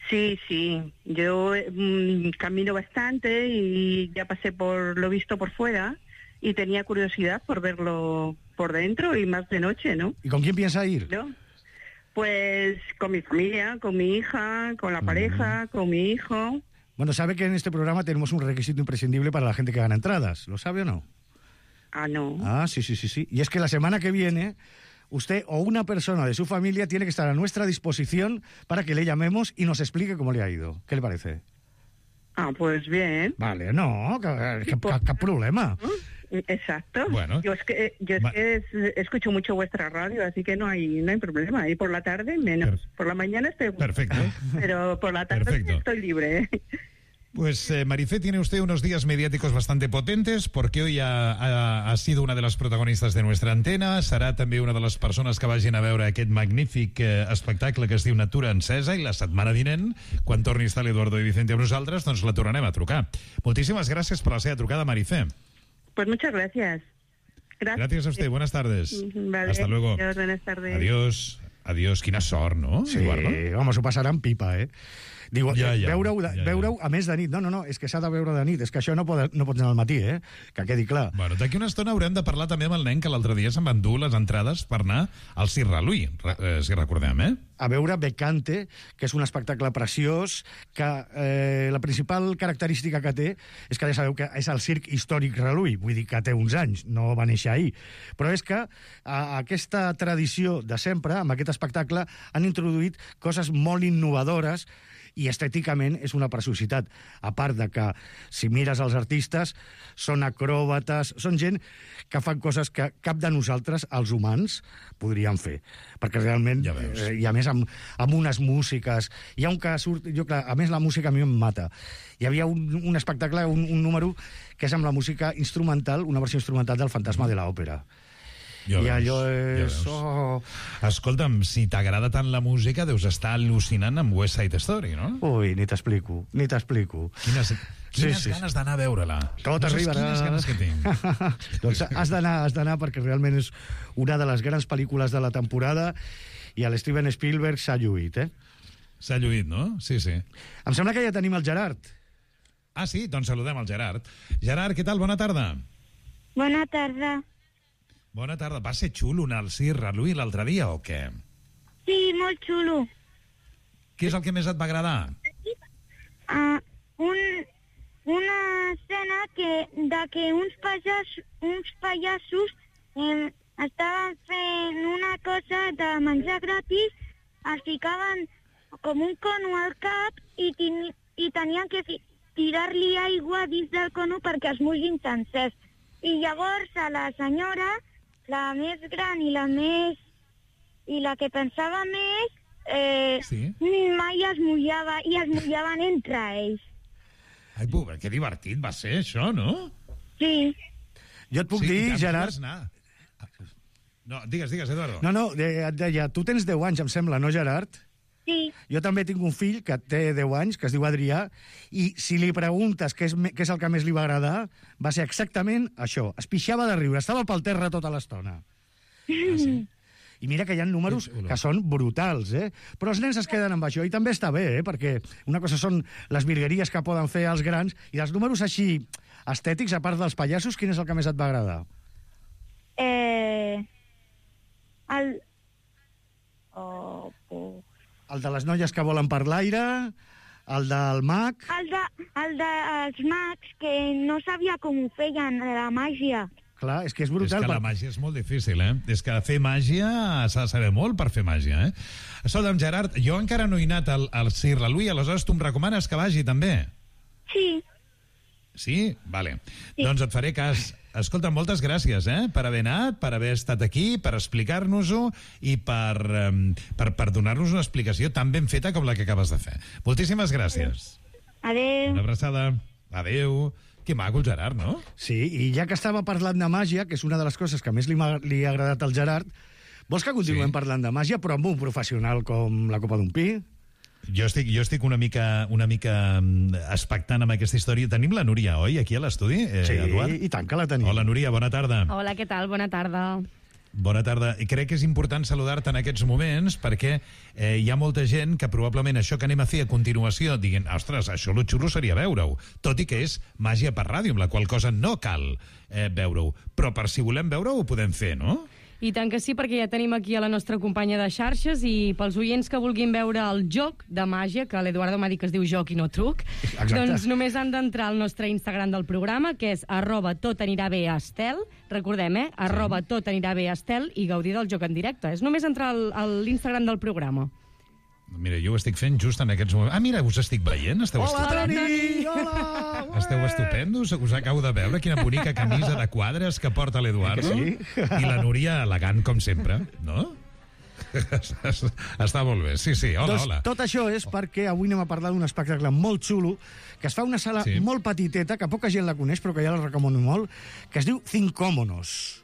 Sí, sí. Yo mmm, camino bastante y ya pasé por lo visto por fuera y tenía curiosidad por verlo por dentro y más de noche, ¿no? ¿Y con quién piensa ir? ¿No? Pues con mi familia, con mi hija, con la pareja, mm. con mi hijo. Bueno, sabe que en este programa tenemos un requisito imprescindible para la gente que gana entradas. ¿Lo sabe o no? Ah, no. Ah, sí, sí, sí, sí. Y es que la semana que viene, usted o una persona de su familia tiene que estar a nuestra disposición para que le llamemos y nos explique cómo le ha ido. ¿Qué le parece? Ah, pues bien. Vale, no, qué problema. Exacto. Bueno. Yo es que, yo es que es, escucho mucho vuestra radio, así que no hay no hay problema. Y por la tarde menos. Per por la mañana estoy... Perfecto. Pero por la tarde Perfecto. estoy libre. Pues eh, Marifé, tiene usted unos días mediáticos bastante potentes porque hoy ha, ha, ha sido una de las protagonistas de nuestra antena, serà també una de les persones que vagin a veure aquest magnífic eh, espectacle que es diu Natura encesa, i la setmana vinent, quan torni a estar l'Eduardo i Vicente amb nosaltres, doncs la tornarem a trucar. Moltíssimes gràcies per la seva trucada, Marifé. Pues muchas gracias. Gracias, gracias a usted, buenas tardes. Vale. Hasta luego. Adiós, buenas tardes. Adiós. Adiós, quina sort, no, sí, Eduardo? Vamos, ho passaran pipa, eh? Diu, ja, ja, veure-ho ja, ja. veure a més de nit. No, no, no, és que s'ha de veure de nit. És que això no pot, no pot anar al matí, eh? Que quedi clar. Bueno, d'aquí una estona haurem de parlar també amb el nen que l'altre dia se'n van dur les entrades per anar al Circ Ralui, eh, si recordem, eh? A veure Becante, que és un espectacle preciós, que eh, la principal característica que té és que ja sabeu que és el circ històric Ralui, vull dir que té uns anys, no va néixer ahir. Però és que a aquesta tradició de sempre, amb aquest espectacle, han introduït coses molt innovadores i estèticament és una preciositat. A part de que, si mires els artistes, són acròbates, són gent que fan coses que cap de nosaltres, els humans, podríem fer. Perquè realment, ja veus. eh, i a més amb, amb unes músiques, hi ha un que surt, jo, clar, a més la música a mi em mata. Hi havia un, un espectacle, un, un número, que és amb la música instrumental, una versió instrumental del Fantasma de l'Òpera. Ja I veus, allò és... ja oh... Escolta'm, si t'agrada tant la música, deus estar al·lucinant amb West Side Story, no? Ui, ni t'explico, ni t'explico. Quines, quines sí, sí. ganes d'anar a veure-la. Tot no arribarà. Quines ganes que tinc. Doncs has d'anar, has d'anar perquè realment és una de les grans pel·lícules de la temporada i l'Steven Spielberg s'ha lluït, eh? S'ha lluït, no? Sí, sí. Em sembla que ja tenim el Gerard. Ah, sí? Doncs saludem el Gerard. Gerard, què tal? Bona tarda. Bona tarda. Bona tarda. Va ser xulo anar al Circ Ralui l'altre dia o què? Sí, molt xulo. Què és el que més et va agradar? Uh, un, una escena que, de que uns, pallas, uns pallassos eh, estaven fent una cosa de menjar gratis, es ficaven com un cono al cap i, ten, i tenien que tirar-li aigua dins del cono perquè es mugin sencers. I llavors a la senyora, la més gran i la més... i la que pensava més, eh, sí? mai es mullava, i es mullaven entre ells. Ai, pobre, que divertit va ser això, no? Sí. Jo et puc sí, dir, Gerard... No, digues, digues, Eduardo. No, no, et deia, tu tens deu anys, em sembla, no, Gerard? Sí. Jo també tinc un fill que té deu anys, que es diu Adrià, i si li preguntes què és, què és el que més li va agradar, va ser exactament això. Es pixava de riure, estava pel terra tota l'estona. Ah, sí? I mira que hi ha números que són brutals, eh? Però els nens es queden amb això, i també està bé, eh? Perquè una cosa són les virgueries que poden fer els grans, i els números així estètics, a part dels pallassos, quin és el que més et va agradar? Eh... El... Oh, oh. El de les noies que volen per l'aire, el del mag... El de, el dels mags, que no sabia com ho feien, la màgia. Clar, és que és brutal. És que la màgia és molt difícil, eh? És que fer màgia s'ha de saber molt per fer màgia, eh? Escolta'm, Gerard, jo encara no he anat al, al Circ Ralui, aleshores tu em recomanes que vagi, també? Sí. Sí? Vale. Sí. Doncs et faré cas. Escolta, moltes gràcies, eh? Per haver anat, per haver estat aquí, per explicar-nos-ho i per, um, per, per donar-nos una explicació tan ben feta com la que acabes de fer. Moltíssimes gràcies. Adéu. Una abraçada. Adéu. Que maco el Gerard, no? Sí, i ja que estava parlant de màgia, que és una de les coses que més li, li ha agradat al Gerard, vols que continuem sí. parlant de màgia, però amb un professional com la copa d'un pi? Jo estic, jo estic una mica, una mica expectant amb aquesta història. Tenim la Núria, oi, aquí a l'estudi, eh, sí, Eduard? i tant que la tenim. Hola, Núria, bona tarda. Hola, què tal? Bona tarda. Bona tarda. I crec que és important saludar-te en aquests moments perquè eh, hi ha molta gent que probablement això que anem a fer a continuació diguin, ostres, això lo xulo seria veure-ho, tot i que és màgia per ràdio, amb la qual cosa no cal eh, veure-ho. Però per si volem veure-ho ho podem fer, no? I tant que sí, perquè ja tenim aquí a la nostra companya de xarxes i pels oients que vulguin veure el joc de màgia, que l'Eduardo m'ha dit que es diu joc i no truc, Exacte. Doncs només han d'entrar al nostre Instagram del programa, que és arroba tot anirà bé Estel, recordem, eh? arroba tot anirà bé Estel, i gaudir del joc en directe. És només entrar al, a l'Instagram del programa. Mira, jo ho estic fent just en aquests moments. Ah, mira, us estic veient, esteu Hola, estupendos. Toni! Hola! Esteu estupendos, us acabo de veure quina bonica camisa de quadres que porta l'Eduardo. Sí? I la Núria elegant, com sempre, no? Està molt bé, sí, sí, hola, doncs, hola. Tot això és perquè avui anem a parlar d'un espectacle molt xulo, que es fa a una sala sí. molt petiteta, que poca gent la coneix, però que ja la recomano molt, que es diu Cincómonos.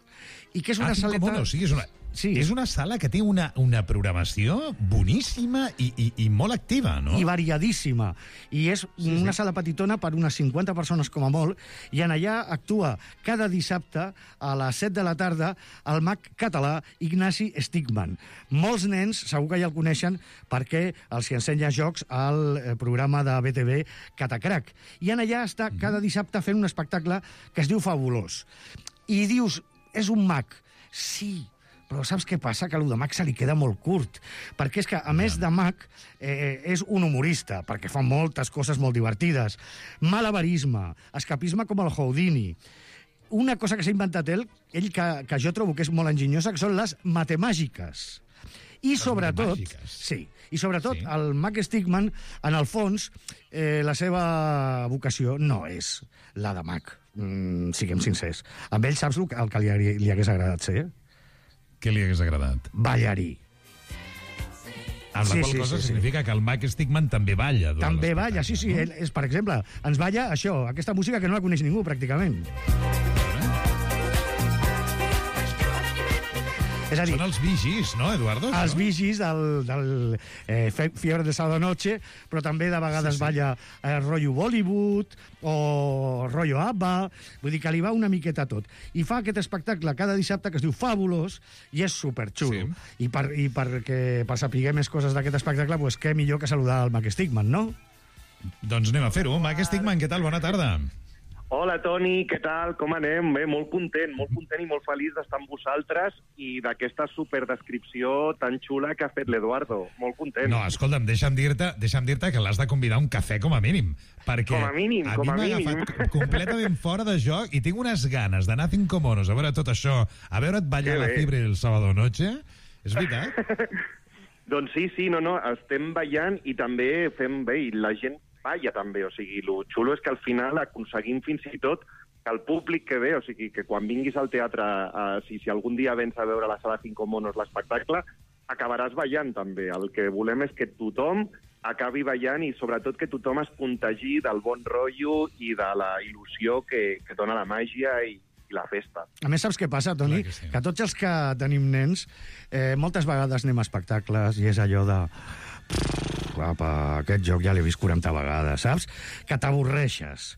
I que és una ah, saleta... Cincómonos, sí, és una... Sí. És una sala que té una, una programació boníssima i, i, i molt activa, no? I variadíssima. I és sí, una sí. sala petitona per unes cinquanta persones com a molt, i en allà actua cada dissabte a les set de la tarda el mag català Ignasi Stigman. Molts nens segur que ja el coneixen perquè els hi ensenya jocs al programa de B T V Catacrac. I en allà està cada dissabte fent un espectacle que es diu Fabulós. I dius, és un mag. Sí, però saps què passa? Que allò de mag se li queda molt curt. Perquè és que, a més de mag, eh, és un humorista, perquè fa moltes coses molt divertides. Malabarisme, escapisme com el Houdini. Una cosa que s'ha inventat ell, ell que, que jo trobo que és molt enginyosa, que són les matemàgiques. I les sobretot, sí, i sobretot sí. el mag Stigman, en el fons, eh, la seva vocació no és la de mag. Mm, siguem sincers. Amb ell saps el que, el que li, li hagués agradat ser? Què li hagués agradat? Ballarí. Amb la sí, qual sí, cosa sí, significa sí. que el mag Stigman també balla. També balla, sí, sí. No? Ell, és, per exemple, ens balla això, aquesta música que no la coneix ningú, pràcticament. És a dir, són els Bee Gees, no, Eduardo? Els Bee Gees del, del eh, Fiebre de Sábado Noche, però també de vegades sí, sí. balla eh, rotllo Bollywood o rotllo ABBA, vull dir que li va una miqueta tot. I fa aquest espectacle cada dissabte que es diu Fabulós i és superxulo. Sí. I, per, i perquè, per saber més coses d'aquest espectacle, pues, què millor que saludar el Mag Stigman, no? Doncs anem a fer-ho. Mag Stigman, què tal? Bona tarda. Hola, Toni, què tal? Com anem? Bé, molt content, molt content i molt feliç d'estar amb vosaltres i d'aquesta superdescripció tan xula que ha fet l'Eduardo. Molt content. No, escolta'm, deixa'm dir-te deixa'm dir-te que l'has de convidar a un cafè com a mínim. Perquè com a mínim, a com mi a mínim. m'ha agafat completament fora de joc i tinc unes ganes d'anar a Cincómonos a veure tot això, a veure't ballar la Fiebre el sábado noche. És veritat? Doncs sí, sí, no, no, estem ballant i també fem bé, i la gent balla també, o sigui, el xulo és que al final aconseguim fins i tot que el públic que ve, o sigui, que quan vinguis al teatre, eh, si, si algun dia vens a veure la sala Cincómonos l'espectacle, acabaràs ballant també. El que volem és que tothom acabi ballant i sobretot que tothom es contagi del bon rotllo i de la il·lusió que, que dona la màgia i, i la festa. A més, saps què passa, Toni? Que, sí. que tots els que tenim nens, eh, moltes vegades anem a espectacles i és allò de... Apa, aquest joc ja l'he vist quaranta vegades, saps? Que t'avorreixes.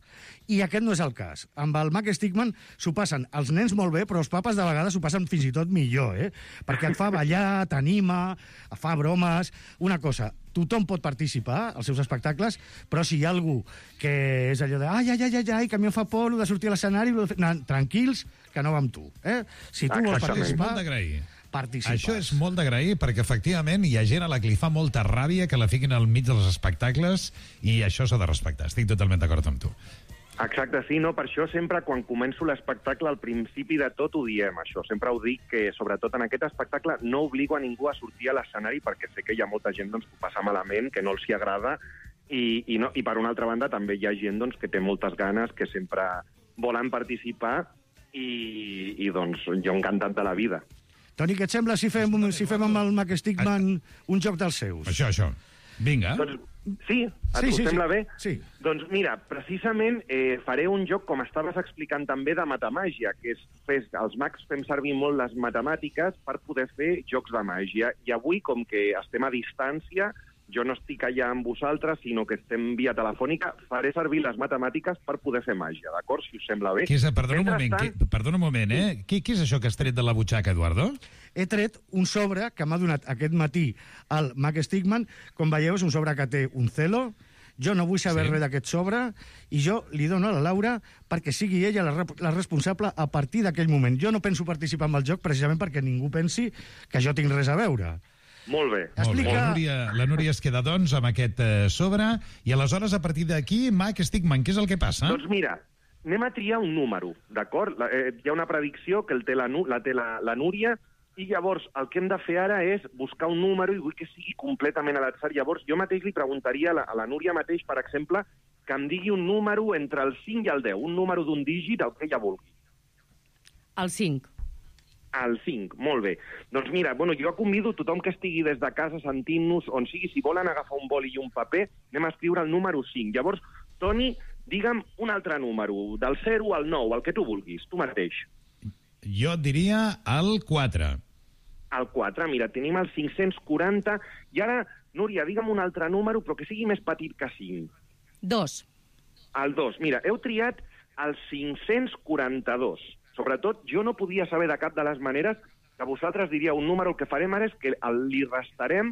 I aquest no és el cas. Amb el Mag Stigman s'ho passen els nens molt bé, però els papes de vegades s'ho passen fins i tot millor, eh? Perquè et fa ballar, t'anima, fa bromes... Una cosa, tothom pot participar als seus espectacles, però si hi ha algú que és allò de ai, ai, ai, ai, que a mi em fa por de sortir a l'escenari, tranquils, que no va amb tu, eh? Si tu vols participar... Participes. Això és molt d'agrair perquè efectivament hi ha gent a la que li fa molta ràbia que la fiquin al mig dels espectacles i això s'ha de respectar. Estic totalment d'acord amb tu. Exacte, sí, no? Per això sempre quan començo l'espectacle al principi de tot ho diem, això. Sempre ho dic que sobretot en aquest espectacle no obligo a ningú a sortir a l'escenari perquè sé que hi ha molta gent doncs, que ho passa malament, que no els hi agrada i, i, no, i per una altra banda també hi ha gent doncs, que té moltes ganes, que sempre volen participar i, i doncs jo encantat de la vida. Toni, què et sembla si fem, si fem amb el Mag Stigman un joc dels seus? Això, això. Vinga. Doncs, sí, a sí, tu sí, sembla sí. bé? Sí. Doncs mira, precisament eh, faré un joc, com estaves explicant també, de matemàgia, que és, fes, els mags fem servir molt les matemàtiques per poder fer jocs de màgia. I avui, com que estem a distància, jo no estic allà amb vosaltres, sinó que estem via telefònica, faré servir les matemàtiques per poder fer màgia, d'acord? Si us sembla bé. Què és, perdona un moment, què, perdona un moment, eh? Què, què és això que has tret de la butxaca, Eduardo? He tret un sobre que m'ha donat aquest matí el Mag Stigman. Com veieu, és un sobre que té un celo Jo no vull saber Sí. res d'aquest sobre i jo li dono a la Laura perquè sigui ella la, rep- la responsable a partir d'aquell moment. Jo no penso participar en el joc precisament perquè ningú pensi que jo tinc res a veure. Molt bé. Molt bé. Explica- La Núria, la Núria es queda, doncs, amb aquest eh, sobre, i aleshores, a partir d'aquí, Mac Stickman, què és el que passa? Doncs mira, anem a triar un número, d'acord? La- Eh, hi ha una predicció que el té la, Nu- la té la, la Núria, i llavors el que hem de fer ara és buscar un número i vull que sigui completament a l'atzar. Llavors jo mateix li preguntaria a la, a la Núria mateix, per exemple, que em digui un número entre el cinc i el deu, un número d'un dígit, el que ella vulgui. El cinc. El cinc, molt bé. Doncs mira, bueno, jo convido tothom que estigui des de casa sentint-nos, on sigui, si volen agafar un boli i un paper, anem a escriure el número cinc. Llavors, Toni, digue'm un altre número, del zero al nou, el que tu vulguis, tu mateix. Jo et diria el quatre. El quatre, mira, tenim el cinc-cents quaranta, i ara, Núria, digue'm un altre número, però que sigui més petit que cinc. Dos. El dos, mira, heu triat el cinc-cents quaranta-dos. Sobretot, jo no podia saber de cap de les maneres que vosaltres diríeu un número. El que farem ara és que el, li restarem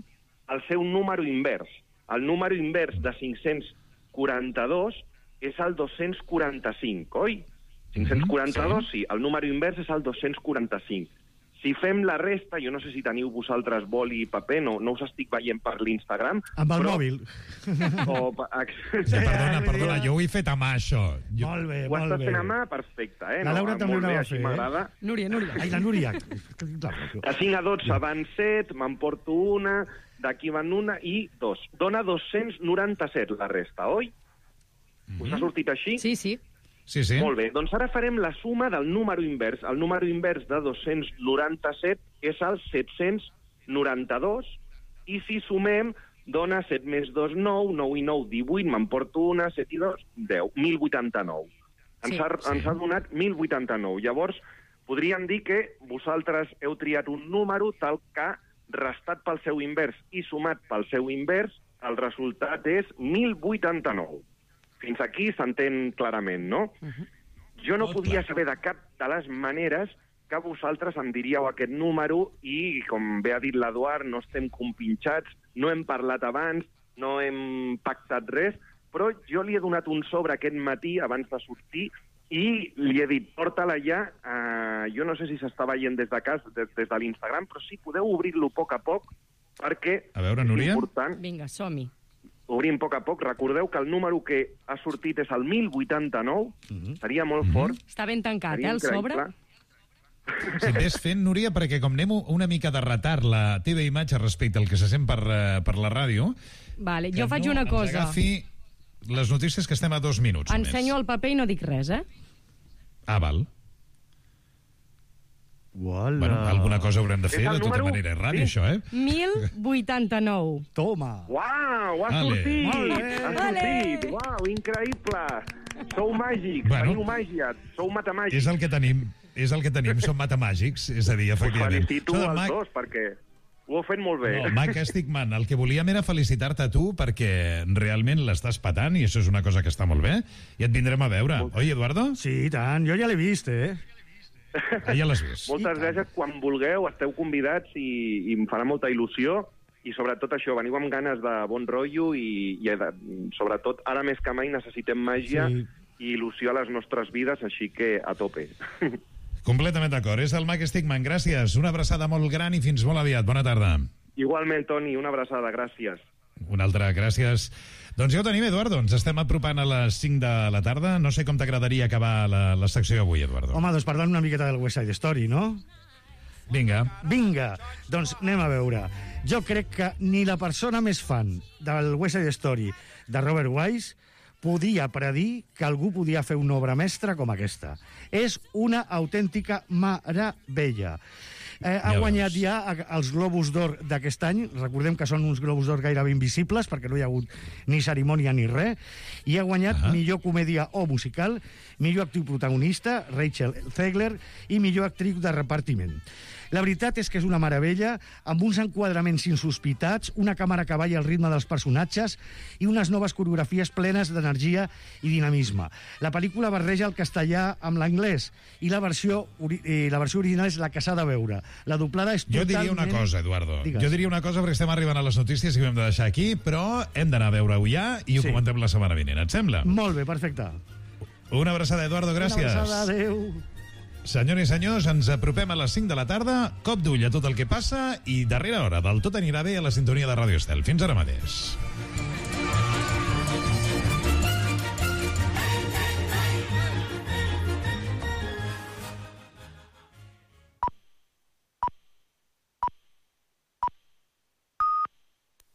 el seu número invers. El número invers de cinc-cents quaranta-dos és el dos-cents quaranta-cinc, oi? cinc-cents quaranta-dos, sí. sí, el número invers és el dos-cents quaranta-cinc. Si fem la resta, jo no sé si teniu vosaltres boli i paper, no, no us estic veient per l'Instagram. Amb el però... mòbil. O... Sí, perdona, perdona, jo ho he fet a mà, això. Jo... Molt bé, Ho molt estàs bé. fent a mà? Perfecte, eh? La Laura no, també ho molt bé, anava a així fer, eh? m'agrada. Núria, Núria. Ai, la Núria. De cinc a dotze van set, m'emporto una, d'aquí van una i dos. Dona dos-cents noranta-set la resta, oi? Us ha sortit així? Sí, sí. Sí, sí. Molt bé, doncs ara farem la suma del número invers. El número invers de dos-cents noranta-set és el set-cents noranta-dos, i si sumem, dona set més dos, nou, nou i nou, divuit, m'emporto una, set i dos, deu, mil vuitanta-nou. Ens, Sí. ha, ens ha donat mil vuitanta-nou. Llavors, podríem dir que vosaltres heu triat un número tal que, restat pel seu invers i sumat pel seu invers, el resultat és mil vuitanta-nou. Fins aquí s'entén clarament, no? Uh-huh. Jo no Molt podia clar. saber de cap de les maneres que vosaltres em diríeu aquest número i, com bé ha dit l'Eduard, no estem compinxats, no hem parlat abans, no hem pactat res, però jo li he donat un sobre aquest matí abans de sortir i li he dit, porta-la ja, uh, jo no sé si s'està veient des de casa, des, des de l'Instagram, però sí, podeu obrir-lo a poc a poc, perquè A veure, és Núria. important. Vinga, som-hi. Obrim a poc a poc. Recordeu que el número que ha sortit és el mil vuitanta-nou. Mm-hmm. Seria molt mm-hmm. fort. Està ben tancat, Seria eh, el sobre? increïble. Si ves fent, Núria, perquè com anem una mica de retard la teva imatge respecte al que se sent per, eh, per la ràdio... Vale, que jo faig no una ens cosa. agafi les notícies, que estem a dos minuts. només. Ensenyo el paper i no dic res, eh? Ah, val. Uala. Bueno, alguna cosa haurem de fer, És el de tota número- manera. És ràdio, sí. això, eh? mil vuitanta-nou. Toma. Uau, ha Vale. sortit! Molt bé. Ha Vale. sortit! Uau, increïble! Sou màgics, Bueno. teniu màgia, sou matemàgics. És el que tenim. És el que tenim, som matemàgics, és a dir, Us efectivament. felicito Això del als Mac- dos, perquè ho heu fet molt bé. No, Mac Stickman, el que volíem era felicitar-te a tu perquè realment l'estàs patant i això és una cosa que està molt bé i et vindrem a veure. Oi, Eduardo? Sí, i tant. Jo ja l'he vist, eh? Ah, ja l'has vist. Moltes gràcies. Quan vulgueu, esteu convidats i, i em farà molta il·lusió. I sobretot això, veniu amb ganes de bon rotllo i, i de, sobretot ara més que mai necessitem màgia Sí. i il·lusió a les nostres vides, així que a tope. Completament d'acord. És el Mac Stickman. Gràcies. Una abraçada molt gran i fins molt aviat. Bona tarda. Igualment, Toni, una abraçada, gràcies. Una altra, gràcies. Doncs ja ho tenim, Eduardo. Ens estem apropant a les cinc de la tarda. No sé com t'agradaria acabar la, la secció avui, Eduardo. Home, doncs parlant una miqueta del West Side Story, no? Vinga. Vinga, doncs anem a veure. Jo crec que ni la persona més fan del West Side Story de Robert Wise podia predir que algú podia fer una obra mestra com aquesta. És una autèntica meravella. Eh, ha Ja guanyat veus. ja els Globus d'Or d'aquest any. Recordem que són uns Globus d'Or gairebé invisibles, perquè no hi ha hagut ni cerimònia ni res. I ha guanyat Ahà. millor comèdia o musical, millor actriu protagonista, Rachel Zegler, i millor actriu de repartiment. La veritat és que és una meravella, amb uns enquadraments insospitats, una càmera que balla al ritme dels personatges i unes noves coreografies plenes d'energia i dinamisme. La pel·lícula barreja el castellà amb l'anglès i la versió, eh, la versió original és la que s'ha de veure. La doblada és jo totalment... Jo diria una cosa, Eduardo. Digues. Jo diria una cosa perquè estem arribant a les notícies i ho hem de deixar aquí, però hem d'anar a veure-ho ja i ho sí. comentem la setmana vinent. Et sembla? Molt bé, perfecte. Una abraçada, Eduardo, gràcies. Una abraçada, adéu. Senyores i senyors, ens apropem a les cinc de la tarda, cop d'ull a tot el que passa i darrera hora del Tot anirà bé a la sintonia de Ràdio Estel. Fins ara mateix.